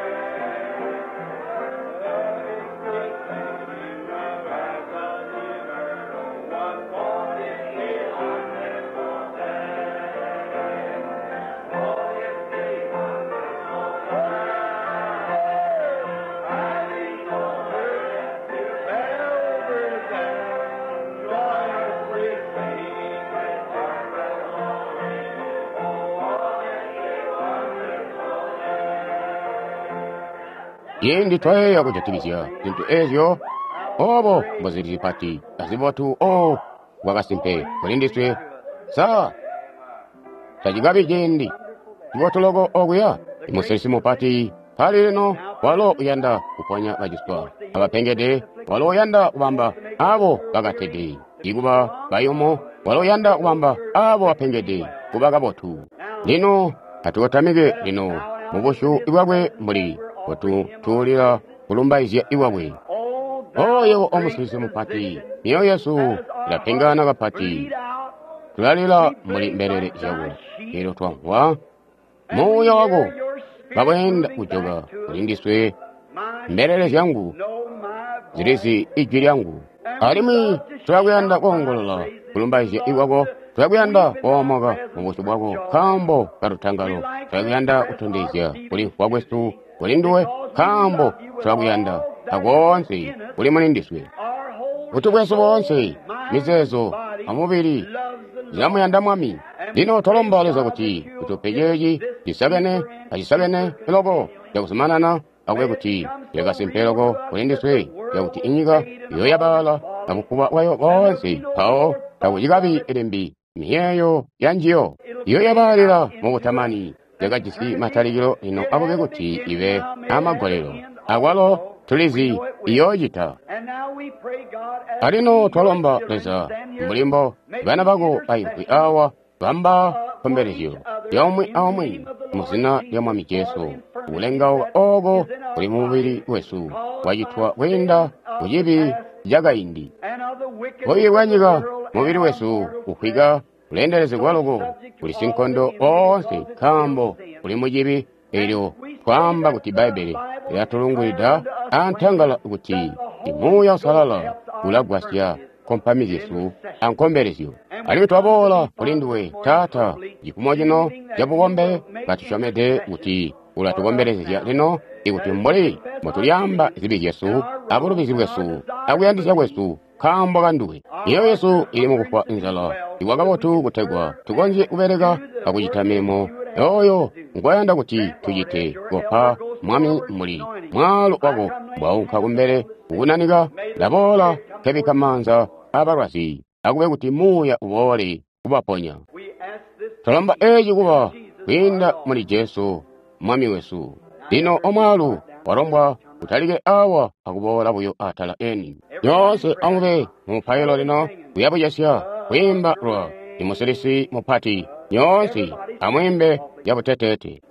Ciindi twayeeya kujatikizya zintu eezyo, obo mbozili zipati azibotu o bwakasimpe kulindiswe, sa tacikabi ciindi cibotu loko okuya. Imusilisi mupati pali lino walo uyanda kuponya baciswa abapengede, walo uyanda kubamba abo bakatede ikuba bayumu, walo uyanda kubamba abo bapengede kuba kabotu. Lino atukotamike lino mubusyu bwakwe mbuli kututuulila kulumbaizya iwakwe. Oyo omusilisi mupati, myoyo yesu ilapengana kapati, tulalila muli mbelele zyako. Elyo twamvwa muuya wako kabweenda kujoka kulindiswe, mbelele zyangu zilizi ijwi lyangu. Alimwi tulakuyanda koongolola kulumbaizya ikwako, tulakuyanda koomoka mubusyu bwako nkaambo kalutangalo, tulakuyanda kutondezya kulimvwa kwesu kuli nduwe nkaambo tulakuyanda akoonse kuli mulindiswe. Butu bwesu boonse, mizeezo amubili zilamuyanda Mwami. Lino twalomba Leza kuti utupe ceeci cisakene acisakene loko cakuzumanana akube kuti lyakasimpe loko kulindiswe cakuti inyika iyoyabaala abukuba bwayo boonse mpawo takucikabi limbi miyeeyo yanjiyo iyoyabaalila mubutamani yakajisi matalikilo lino akube kuti ibe amagolelo akwalo tulizi iyoocita. Alino twalomba Leza mbulimbo bana bako baimvwi awa bamba nkombelezyo yomwe aomwe muzina lya Mwami Jesu. Kulengauka oko kuli mubili wesu wacitwa kwiinda ku cibi cakaindi. Bubi bwa nyika mubili wesu ufwika kuleendelezegwa loko kuli sinkondo oonse nkaambo kuli mucibi. Elyo twaamba kuti Bbaibbele lilatulungwida antangala kuti Muuya Uusalala ulagwasya kompami zyesu ankombelezyo. Alimwi twaboola kuli nduwe Taata cifumo cino cabukombe katusyomede kuti Ula tukombelezezya lino, ikuti mbuli mbotulyaamba zibi zyesu abulubizi bwesu akuyandisya kwesu nkaambo kanduwe. Myoyo yesu ili mukufwa nzala ikwa kabotu kutegwa tukonzye kubeleka akucita milimo oyo ngwayanda kuti tucite. Kopa Mwami mbuli mwaalu wako mbwaunka kumbele kukunanika, ndaboola nkebikka maanza abalwazi, akube kuti Muuya uboole kubaponya. Twalomba eci kuba kwiinda muli Jesu Mwami wesu. Lino omwaalu walombwa utalike awa akuboola buyo atala eni. Nyoonse amube mumupailo lino, kuyabucesya kwiimba lwa imusilisi mupati. Nyoonse amwiimbe yabuteteete.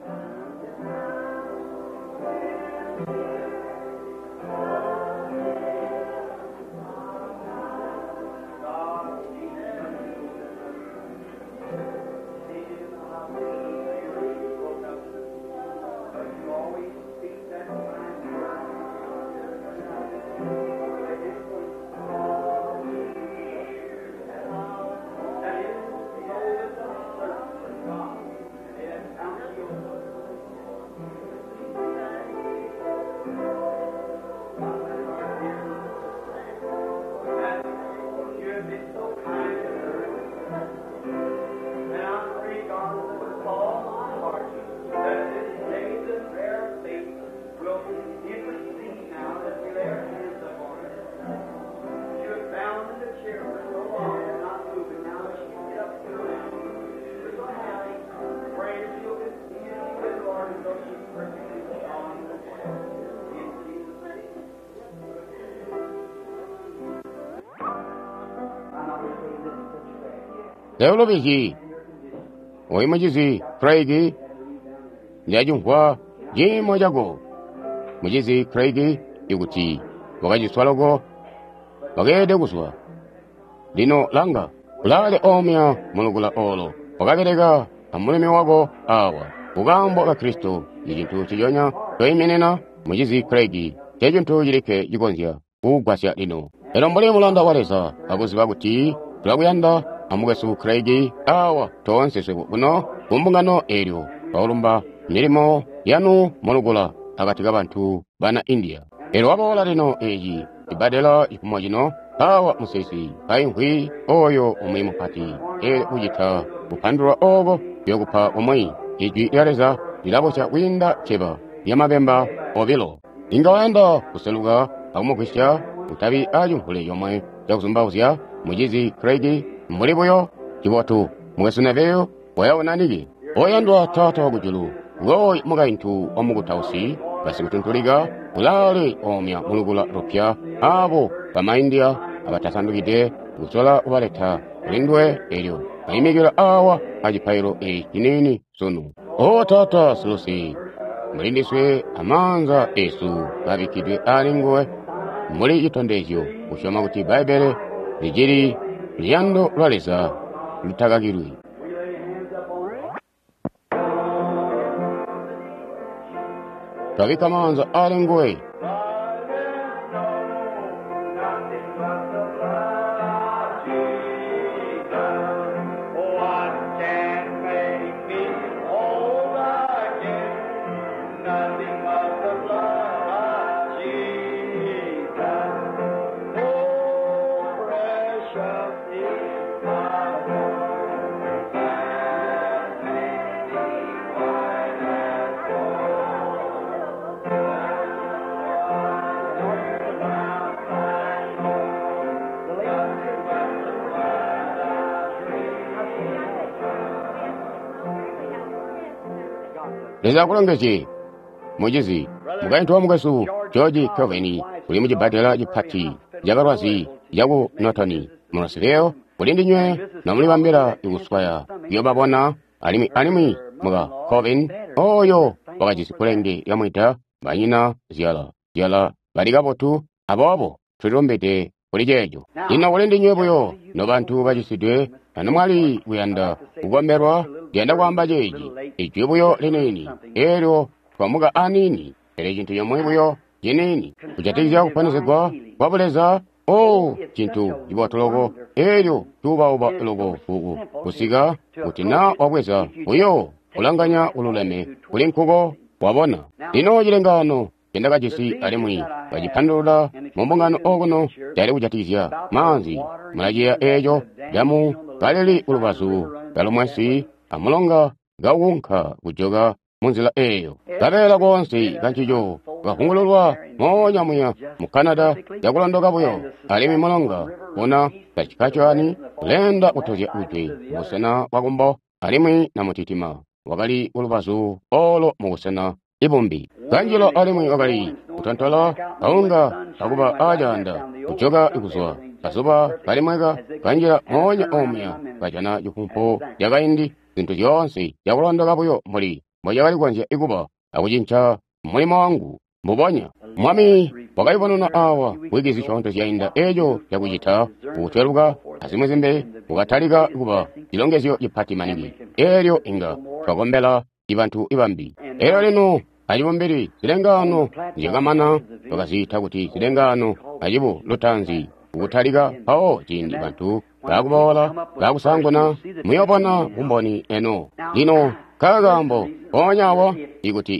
Leulobizi oyu mucizi Craig, ndiyacimvwa ciimo cako. Mucizi Craig, ikuti wakaciswa loko, wakeelede kuzwa. Lino langa, ulaale omya mulukula olo, wakabeleka amulumi wako awa. Kukaambo ka Kristo ni cintu ciconya toiminina mucizi Craig, ncecintu cilikke cikonzya kukugwasya lino. Elo mbuli mulanda wa Leza akuziba kuti tulakuyanda amukwesu Craig awa toonse swebo kuno kumbungano eelyo twakulumba milimo yanu mulukula akati kabantu bana India. Elyo waboola lino eci cibbadela cifumo cino awa musisi kaimvwi oyo umwi mupati eelyo kucita kupandulwa oko kuyokupa umwi. Ijwi lya Leza lilabosya kwiinda ceba lyamabemba obilo. Inga wayanda kuseluka akumugwisya utabi acimvule comwe cakuzumbauzya mucizi Craig mbuli buyo cibotu. Mukwesu Neville wayawonaniki. Oyandwa Taata wakujulu, ngooyu mukaintu wa mukutausi basikutuntulika ulaale omya mulukula lupya abo bamaindia abatasandukide kusola kubaleta kulinduwe elyo baimikila awa acipailo eci ciniini sunu. O Taata silusi, mulindiswe amaanza esu kabikkidwe ali nguwe mbuli citondezyo kusyoma kuti Bbaibbele licili luyando lwa Leza lutakakilwi. Twabikka maanza ali nguwe. What can make me whole again? Nothing but the blood of Jesus. Oh, precious is the blood that made me white as Leza akulongezye mucizi mukaintu wa mukwesu George Calvin uli mucibbadela cipati cabalwazi caku Norton mu Rossville kuli ndinywe nomulibambila ikuswaya kuyobabona alimwi muka Calvin oyo wakajisi kkulenge lyamwida banyina zyala bali kabotu, aboobo tulilumbide kuli ceeco. Lino kuli ndinywe buyo nobantu bacisidwe anomwali kuyanda kukombelwa, ndiyanda kwaamba ceeci ijwi buyo liniini eelyo twamuka aniini, pele cintu comwe buyo ciniini kujatikizya kuponesegwa kwa buleza. O cintu cibotu loko eelyo cuubauba loko kusika kuti naa wabweza buyo kulanganya ululeme kuli nkuko. Wabona? Lino cilengaano ncendakajisi alimwi kacipandulula mu mbungano okuno cali kujatikizya maanzi. Mulaciyeeya eeco camu kalili kulubazu kalumwesi amulonga kaukunka kujoka munzila eeyo. Kabeela koonse kancico kakavungululwa moonya muya mu Canada cakulondoka buyo, alimwi mulonga una Saskatchewan uleenda kutozya kujwe kubusena bwakumbo, alimwi namutitima wakali kulubazu olo mubusena ibumbi. Kanjila alimwi wakali kutontola kaunga akuba acaanda kujoka kuzwa kazuba kalimweka kanjila moonya omuya kajana cifumpo cakaindi zintu zyoonse cakulondoka buyo mbuli mbocakali kukonzya kuba akucinca mulimo wangu mbubonya. Mwami wakayubununa awa wiki zisyoonto zyainda eeco cakucita kutweluka azimwi zimbi kukatalika kuba cilongezyo cipati maningi. Eelyo inga twakombela ibantu ibambi. Eelyo lino acibumbili zilengaano zyakamana twakaziita kuti zilengaano acibu lutaanzi kutalika mpawo ciindi bantu baakuboola baakusaanguna muyoobona bumboni eno. Lino nkakaambo mpoonya awo ikuti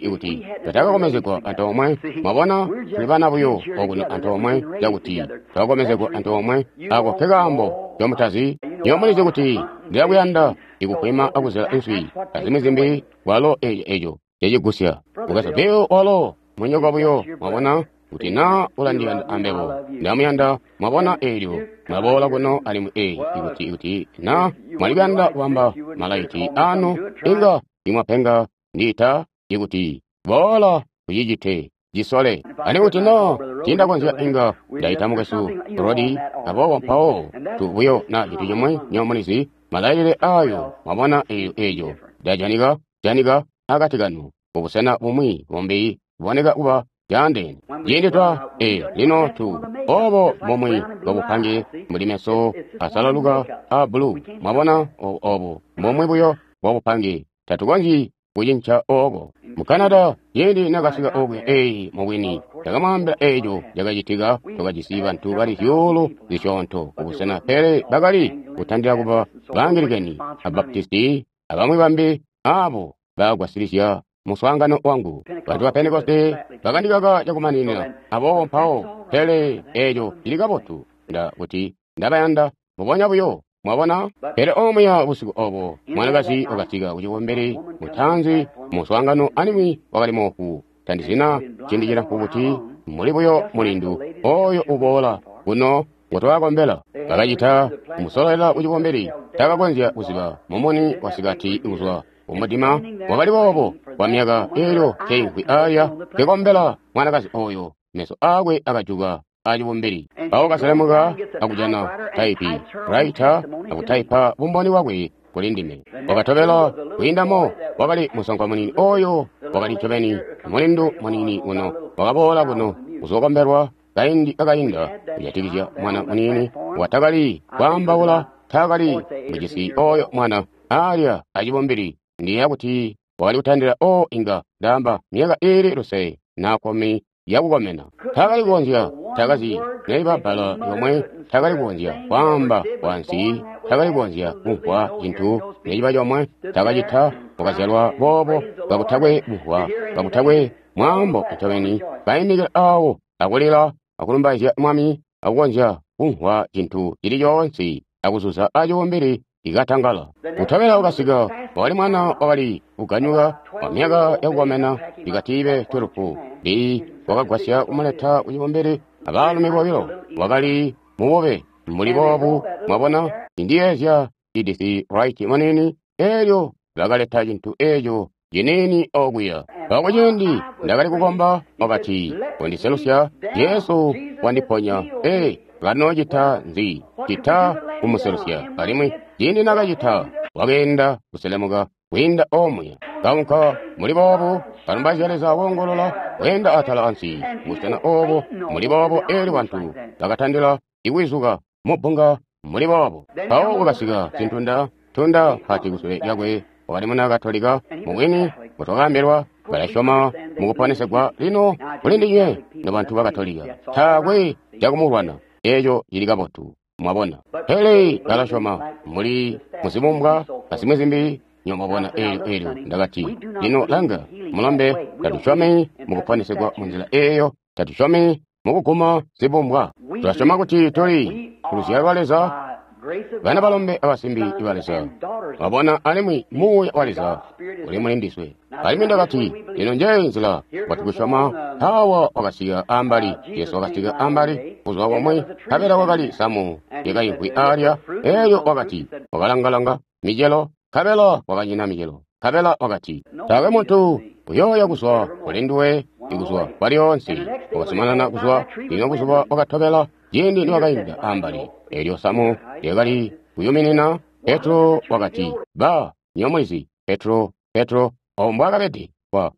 twatakakomezegwa antoomwe, mwabona tuli bana buyo okuno antoomwe cakuti twakakomezegwa antoomwe, ako nkekaambo ncomutazi. Nywebo mulizi kuti ndilakuyanda ikufwima akuzela inswi azimwi zimbi, walo eco cecigusya. Mukwesu Bill walo munyoko buyo, mwabona, kuti naa ulandiyanda ambebo ndamuyanda, mwabona, eelyo mwaboola kuno alimwi ikuti naa mwalikuyanda kubamba malaiti anu inga nimwapenga ndiita ikuti boola kucicite cisole. Alimwi kuti naa tiindakonzya inga ndaita mukwesu Rodi, aboobo mpawo tu buyo na cintu cimwi nywebo mulizi malailile ayo, mwabona, eeco ndajanika janika akati kanu mubusena bumwi bumbi buboneka kuba caandeene. Ciindi twa lino tu obo bumwi bwabupange mbuli meso asalaluka a bulu, mwabona, obo mbumwi buyo bwabupange tatukonzyi kucinca ooko. Mu Canada ciindi nakasika okuya mubwini ndakamwaambila eeco cakacitika. Twakajisi bantu bali zyuulu zisyoonto kubusena, pele bakali kutandila kuba Baangilikeni a Baptisti abamwi bambi aabo bakagwasilizya muswaangano wangu. Bantu ba Pentekoste bakandikaka cakumaninina, aboobo mpawo, pele eeco cili kabotu kuti ndabayanda mbubonya buyo, mwabona. Pele omuya busiku obo mwanakazi wakasika kucibumbili mutaanzi muswaangano alimwi wakali moofu. Tandizina ciindi cilamfu buti muli buyo mulindu oyo uboola kuno ngotwakakombela. Bakacita kumusololela kucibumbili, takakonzya kuziba mumuni wasikati kuzwa kumudima wakali boobo kwa myaka eelyo nkeimvwi aya nkekombela mwanakazi oyo, meso aakwe akajuka acibumbili. Mpawo kaselemuka akujana taipi raita akutaipa bumboni bwakwe kuli ndime. Wakatobela kwiindamo wakali musankwa munini oyo wakali ncobeni mulindu munini kuno wakaboola kuno kuzokombelwa kaindi kakainda kujatikizya mwana munini watakali kwaambaula, taakali mujisi oyo mwana alya acibumbili. Ndiyeeya kuti wakali kutandila inga ndaamba myaka iili lusele na kkumi yakukomena. Taakali kukonzya, taakazi neliba bbala lyomwe, taakali kukonzya kwaamba wansi, taakali kukonzya kumvwa cintu neciba comwe, taakacita, wakazyalwa boobo kakutakwe kumvwa, kakutakwe mwaambo ncobeni, kaimikila awo akulila akulumbaizya Mwami akukonzya kumvwa cintu cili coonse akuzuza acibumbili ikatangala. Kutobela wakasika wakali mwana wakali kuganyuka wa myaka yakukomena ikatiibe 12 ndi wakagwasya kumuleta kucibumbili abaalumi bobilo. Wakali mubube mbuli boobu, mwabona, indiyeezya Edith Wright munini, eelyo bakaleta cintu eeco ciniini okuya. Mpawo ciindi ndakali kukomba wakati, kondiselusya, Jesu wandiponya. Kanoocita nzi cita kumuselusya? Alimwi ciindi nakacita wakeenda kuselemuka kwiinda omuya, kaunka muli boobu, kalumbaizya Leza woongolola, weenda atala ansi busena oobo muli boobo. Eelyo bantu bakatandila ikwizuka mubbunga muli boobo. Mpawo wakasika sintunda tunda mpati kusule lyakwe wakali muna Katolika mubwini mbotwakaambilwa balasyoma mukuponesegwa. Lino kuli ndinywe nobantu ba Katolika taakwe cakumulwana, eeco cili kabotu, mwabona. Pele balasyoma muli muzibumbwa azimwi zimbi Nywebo mwabona, eelyo Ndakati, lino langa, mulombe, tatusyomi mukuponesegwa munzila eeyo, tatusyomi mukuguma zibumbwa. Tulasyoma kuti tuli kuluzyalo lwa Leza, bana balombe abasimbi ba Leza. Mwabona, alimwi Muuya wa Leza uli muli ndiswe. Alimwi Ndakati, lino njeeyi nzila mbwatukusyoma. Mpaawa wakasika ambali, Jesu wakasika ambali buzuba bumwi, nkabela kwakali samu lyakaimvwi alya. Elyo wakati, wakalangalanga micelo, nkabela kwakanyina micelo. Nkabela wakati, taakwe muntu uyooya kuzwa kuli nduwe ikuzwa kwalyoonse. Wakazumanana kuzwa. Lino buzuba bwakatobela, ciindi niwakainda ambali, elyo samu lyakali kuyuminina, Petro wakati, ba, nywebo mulizi, Petro, Petro, obo mbwakabede.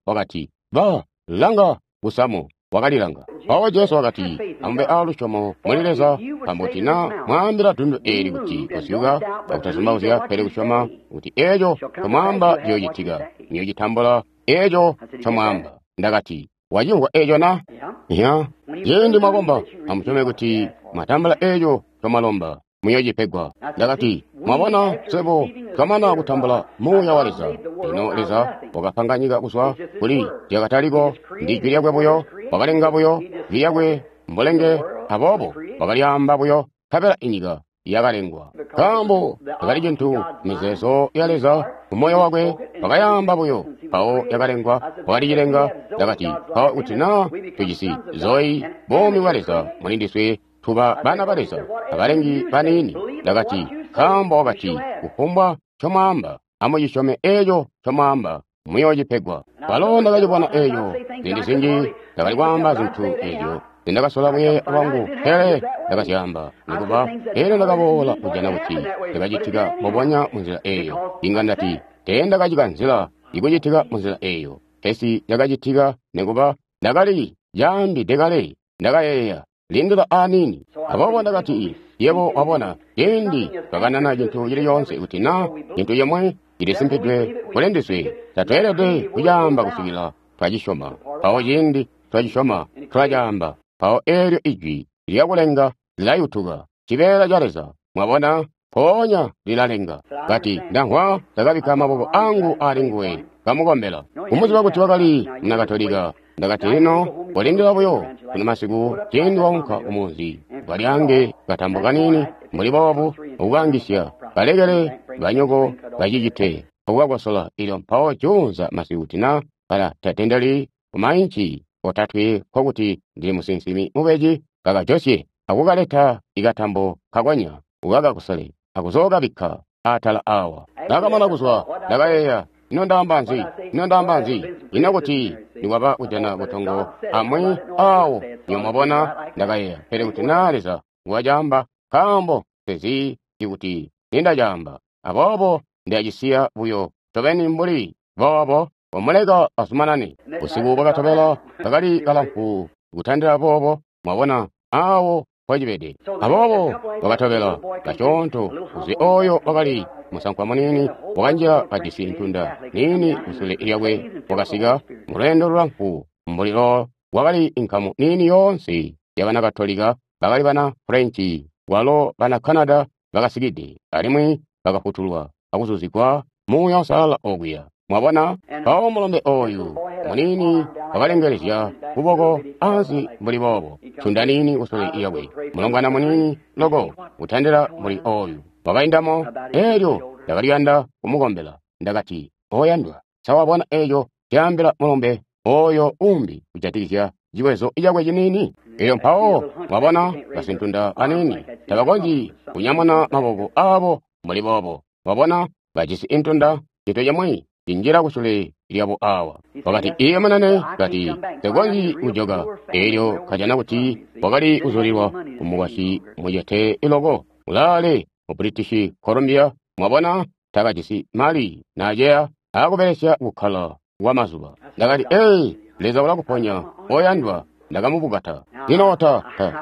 Wakati, ba, langa kusamu. Wakalilanga. Mpawo Jesu wakati, amube a lusyomo muli Leza, nkaambo kuti na mwaambila dundu eeli kuti kosyuka, akutazumbauzya, pele kusyoma kuti eeco ncomwaamba ciyoocitika, muyocitambula eeco ncomwaamba. Ndakati, wacimvwa eeco na? Ya. Ciindi mwakomba, amusyome kuti mwatambula eeco ncomwalomba, muyocipegwa. Ndakati, mwabona, swebo twamana kutambula Muuya wa Leza. Lino Leza wakapanga nyika kuzwa kuli zyakataliko, ndi jwi lyakwe buyo, wakalenga buyo jwi lyakwe mbulenge, aboobo wakalyaamba buyo, nkabela inyika yakalengwa. Nkaambo takali cintu mizeezo ya Leza mumoyo wakwe, wakayaamba buyo, mpawo yakalengwa, wakalicilenga. Ndakati, mpawo kuti na tujisi Zoe, buumi bwa Leza muli ndiswe, tuba bana ba Leza, abalengi baniini. Ndakati, nkaambo wakati, kufumbwa ncomwaamba, amucisyome eeco ncomwaamba, muyoocipegwa. Kwalo ndakacibona eeco ziindi zinji, ndakali kwaamba zintu eezyo nzindakasola kuyeeya lwangu, pele ndakazyaamba nikuba. Elyo ndakaboola kujana kuti ndakacitika mbubonya munzila eeyo. Inga ndati teendakacikanzila ikucitika munzila eeyo, pesi cakacitika nikuba ndakali caambide kale. Ndakayeeya, lindila aniini. Aboobo ndakati, yebo wabona, ciindi twakanana cintu cili coonse, kuti na cintu cimwe cilisimpidwe kuli ndiswe, tatweelede kucaamba kusikila twacisyoma. Mpawo ciindi twacisyoma, tulacaamba. Mpawo eelyo ijwi lyakulenga lilayutuka, cibeela ca Leza. Mwabona, mpoonya lilalenga. Kati, ndamvwa, ndakabikka maboko angu ali nguwe, kamukombela. Kumuziba kuti wakali muna Katolika. Ndakati, lino kolindila buyo kuno masiku, ciindi waunka kumunzi, ukalyange katambo kaniini mbuli boobu, ukukangisya, kalekele banyoko bacicite, akukakosola. Ilyo mpawo juunza masiku kuti na kala tatendeli kumainci otatwe, nkokuti ndili musinsimi mubeji. Kakajosye akukaleta ikatambo kakonya, ukakakosole akuzookabikka atala awa. Ndakamana kuzwa, ndakayeeya, ino ndaamba nzi? Ino ndaamba nzi? Ino kuti nikwaba kujana butongo amwi awo, nywebo mwabona. Ndakayeeya, pele kuti na Leza wacaamba, nkaambo nsezi kuti nindacaamba. Aboobo ndacisiya buyo ncobeni mbuli boobo, wamuleka azumanane. Busiku bwakatobela kakali kalamfu kutandila boobo, mwabona awo mpocibede. Aboobo bwakatobela kasyoonto, uzi oyo wakali musankwa muniini wakanjila kajisi ntunda niini kusule lyakwe, wakasika mulweendo lulamfu mbuli loo. Wakali inkamu niini yoonse yabana Katolika, bakali bana Frenchi, walo bana Canada bakasikide, alimwi bakafutulwa akuzuzigwa Muuya Uusalala okuya. Mwabona, mpawo mulombe oyu muniini wakalengelezya kuboko ansi mbuli boobo, ntunda niini kusule lyakwe, mulongwana muniini loko kutandila mbuli oyu wakaindamo. Elyo ndakaliyanda kumukombela. Ndakati, oyandwa, sa wabona eeco caambila mulombe oyo umbi kujatikizya ciwezo cakwe ciniini? Elyo mpawo mwabona basintunda aniini tabakonzyi kunyamuna maboko abo mbuli boobo. Mwabona, bajisi intunda, cintu cimwi cinjila kusule lyabo awa. Wakati, iye munene, kati, nsekonzyi kujoka. Elyo kajana kuti wakali kuzulilwa kumukwasyi mucete loko ulaale mu British Columbia. Mwabona, takajisi mali naaceya akubelesya kukkala kwa mazuba. Ndakati, ee, Leza ulakuponya, oyandwa. Ndakamubukata. Lino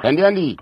tandiyandi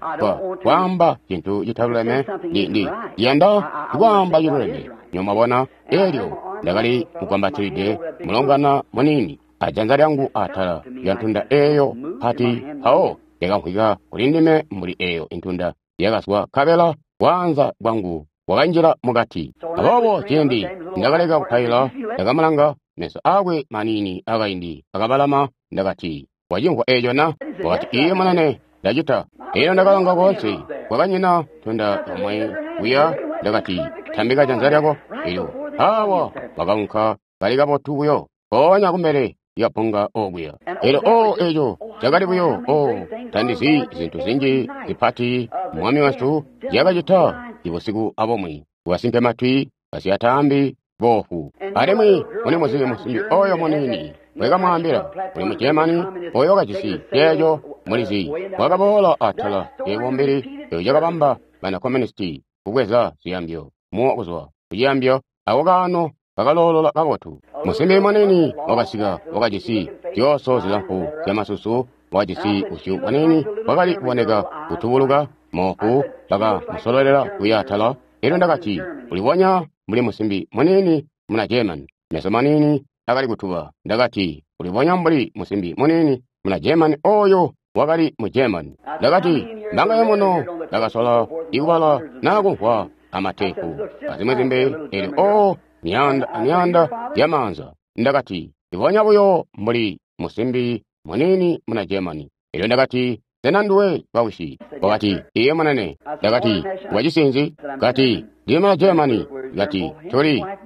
kwaamba cintu citaluleme, ndi ndiyanda kwaamba ciluleme. Nywebo mwabona, elyo ndakali mugwambatilide mulongwana muniini ajanza lyangu atala lya ntunda eeyo pati, mpawo yakamvwika kuli ndime mbuli eeyo intunda yakazwa, nkabela kwaanza kwangu wakanjila mukati. Aboobo ciindi ndakaleka kupaila, ndakamulanga, meso aakwe maniini akaindi akabalama. Ndakati, wacimvwa eeco na? Wakati, iye munene, ndacita. Elyo ndakalanga koonse, kwakanyina tunda omwe kuya. Ndakati, tambika janza lyako. Elyo awa wakaunka kali kabotu buyo, mpoonya kumbele lyapunga okuya. Elyo o eeco cakali buyo, o tandizi zintu zinji zipati Mwami wesu zyakacita ibusiku abomwe, kubasimpe matwi, basyataambi, boofu. Alimwi muli muzibe musimbi oyo muniini mwekamwaambila, uli mu Germany oyo wakajisi ceeco, mulizi, wakaboola atala ebumbili eco cakabamba bana communisti kubweza ziyambyo, muwo kuzwa kuciyambyo, ako kaano kakaloolola kabotu. Musimbi muniini wakasika, wakajisi zyooso zilamfu zyamasusu, wakajisi busyu buniini bwakali kuboneka kutubuluka, moofu, bakamusololela kuya atala. Elyo ndakati, ulibonya mbuli musimbi muniini muna German, meso maniini akali kutuba. Ndakati, ulibonya mbuli musimbi muniini muna German oyo wakali mu German. Ndakati, mbanga muno ndakasola ikubala naa kumvwa amatepu azimwi zimbi. Elyo o myaanda amyaanda yamaanza. Ndakati, ibonya buyo mbuli musimbi muniini muna German. Elyo ndakati, sena nduwe bawisi? Wakati, iye munene. Ndakati, wacisinzi? Kati, ndili muna Germany. Kati,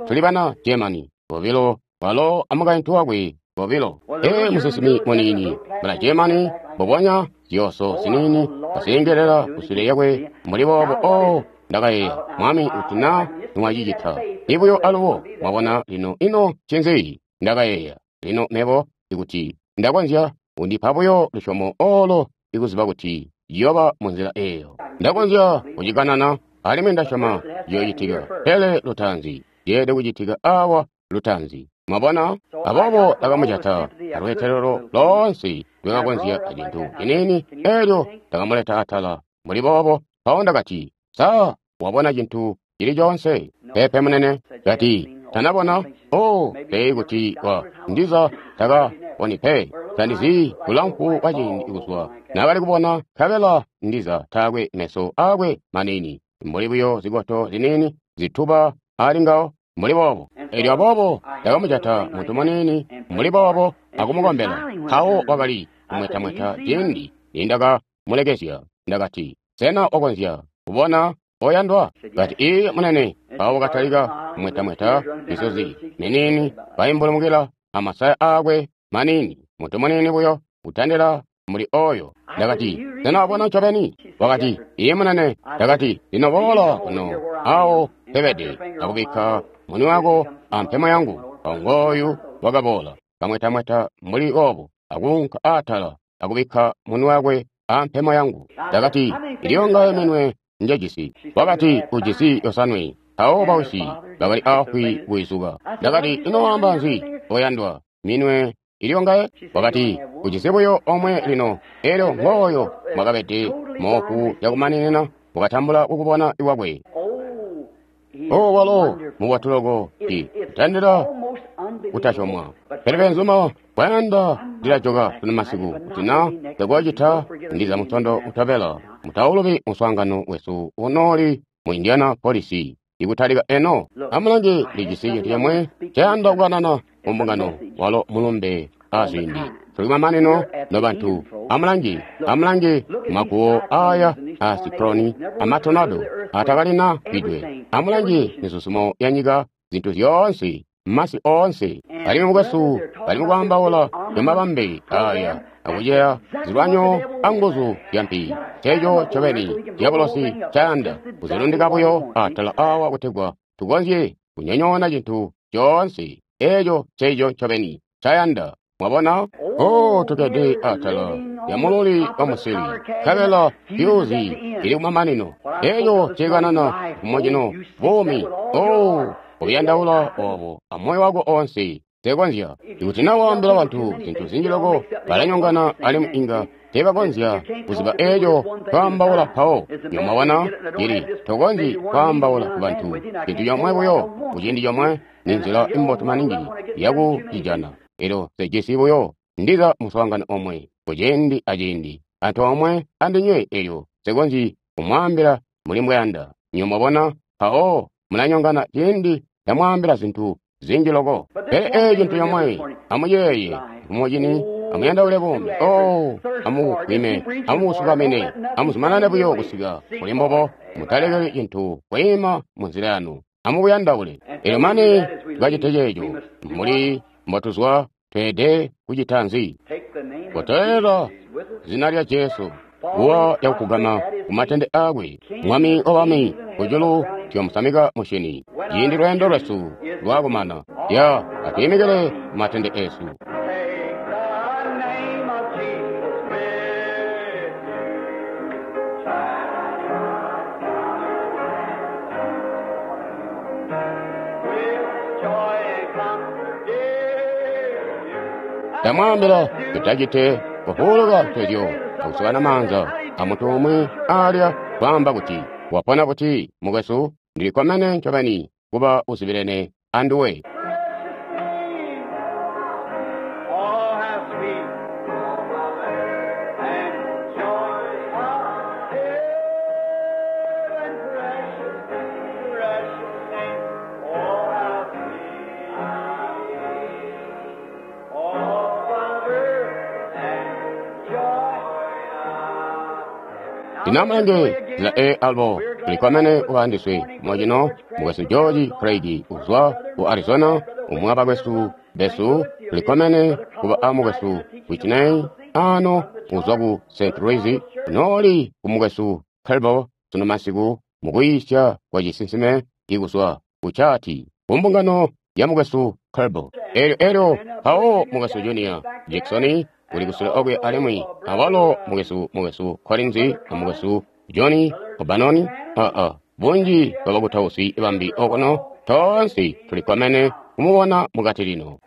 tuli bana Germany bobilo, walo amukaintu wakwe bobilo. Ee, musinsimi muniini muna Germany, mbubonya zyooso ziniini kazilengelela kusule yakwe mbuli boobo. O ndakayeeya, Mwami, kuti na nimwacicita ibuyo alubo. Mwabona lino ino ncinzi? Ndakayeeya, lino mebo ikuti ndakonzya undipa buyo lusyomo olo ikuziba kuti yoba munzila eeyo. Ndakonzya kucikanana, alimwi ndasyoma ciyoocitika, pele lutaanzi yeelede kucitika awa lutaanzi. Mwabona? Aboobo ndakamujata alweetelelo loonse lwekakonzya acintu ciniini, elyo ndakamuleta atala mbuli boobo. Mpawo ndakati, sa wabona cintu cili coonse? Peepe munene. Kati, tanabona. O, pee kuti wa ndiza takaboni pe. Tandizi bulamfu bwa ciindi kuzwa naakali kubona, nkabela ndiza taakwe meso aakwe maniini, mbuli buyo zikoto ziniini zituba ali ngawo mbuli boobo. Elyo aboobo ndakamujata muntu muniini mbuli boobo akumukombela. Mpawo wakali kumwetamweta ciindi nindakamulekezya. Ndakati, sena wakonzya kubona oyandwa? Kati, iye munene. Mpawo wakatalika kumwetamweta, misozi miniini kaimbulumukila amasaya aakwe maniini, muntu muniini buyo kutandila muli oyo. Ndakati, sena wabona ncobeni? Wakati, iye munene. Ndakati, lino boola kuno awo pebede akubikka muni wako ampemo yangu. Mpawo ngooyu wakaboola kamwetamweta mbuli boobo akuunka atala akubikka muni wakwe ampemo yangu. Ndakati, iliyongaye minwe njejisi? Wakati, ujisi yosanwe. Mpawo bawisi bakali afwi kuizuka. Ndakati, ino waamba nzi oyandwa? Minwe iliyongaye? Wakati, ujisi buyo omwe lino. Elyo ngooyo mwakabede moofu yakumaninina, wakatambula kukubona iwakwe. O walo mubotu loko, kutandila kutasyomwa. Pele benzuma, kwayanda ndilajoka sunu masiku, kuti na ndakuwacita ndiza mutondo utobela. Mutaulubi muswaangano wesu unooli mu Indianapolis ikutalika eno. Amulange, lijisi cintu cimwe cayanda kukanana mu mbungano, walo mulumbe aziindi. Tuli kumamanino nobantu. Amulange, amulange maguwo aya a sikloni amatonado atakalina bidwe. Amulange mizuzumo ya nyika, zintu zyoonse, masi oonse. Alimwi mukwesu bali mukwaambaula mabambe aya akuceya zilwanyo anguzu zya mpi. Nceeco ncobeni diabolosi ncayanda kuzilundika buyo atala awa kutegwa tukonzye kunyonyoona cintu coonse. Eeco nceeco ncobeni ncayanda. Mwabona? O, tukkede atala lya mululi wa musili, nkabela fyuzi ili kumamanino. Eeco cikanana kumocino buumi. O, uyandaula obo amoyo wako onse. Tekonzya. Ikuti na waambila bantu zintu zinji loko, balanyongana alimwi inga tebakonzya kuziba eeco twaambaula mpawo. Nyomwabona, ili tokonzyi kwaambaula ku bantu cintu comwe buyo kuciindi comwe, ni nzila imbotu maningi yakucijana. Elyo sejisi buyo ndiza muswaangano omwe kuciindi aciindi antoomwe andinywe, elyo sekonzyi kumwaambila muli mbwayanda. Nyomwabona? Mpawo mulanyongana ciindi ndamwaambila zintu zinji loko. Pele eeci cintu comwe, amuyeeye, mumucini, amuyandaule buumi. Oh, amubugwime, amubusukamine, amuzumanane buyo kusika kuli mbubo. Mutalekeli cintu kwiima munzila yanu. Amubuyandaule. Elyo mane tukacite ceeco, mbuli mbotuzwa, tweelede kucita nzi? Kotolela zina lya Jesu, kuwa yakugama kumatende aakwe, Mwami wabami, kujulu tuyomusamika musyini. Ciindi lweendo lwesu lwakumana, ya atwiimikile kumatende esu. Take the name of Jesus with you. With joy and comfort, dear you. Ndamwaambila tutacite kufuuluka ntezyo akusukana maanza amuntu umwi alya kwaamba kuti wapona buti mukwesu, ndilikkomene ncobeni kuba uzibilene anduwe. Precious name. Oh, how sweet. And joy of heaven, precious, precious name. Oh, how sweet. Oh, Father, and joy of Ndinamulenge zila e albo tulikkomene kuba andiswe mwacino mukwesu George Craig uzwa ku Arizona, umwe abakwesu besu tulikkomene kuba a mukwesu Whitney ano uzwa ku St. Louis, noli ku mukwesu Kelbo sunu masiku mukuyisya kwa cisinsime ikuzwa ku chati ku mbungano ya mukwesu Kelbo. Elyo elyo mpawo mukwesu Junior Jackson uli kusule okwe alimwi awalo mukwesu mukwesu Collins a mukwesu Johnny Obanoni aa bunji bwa bakutausi bambi okuno tonse tulikkomene kumubona mukati lino.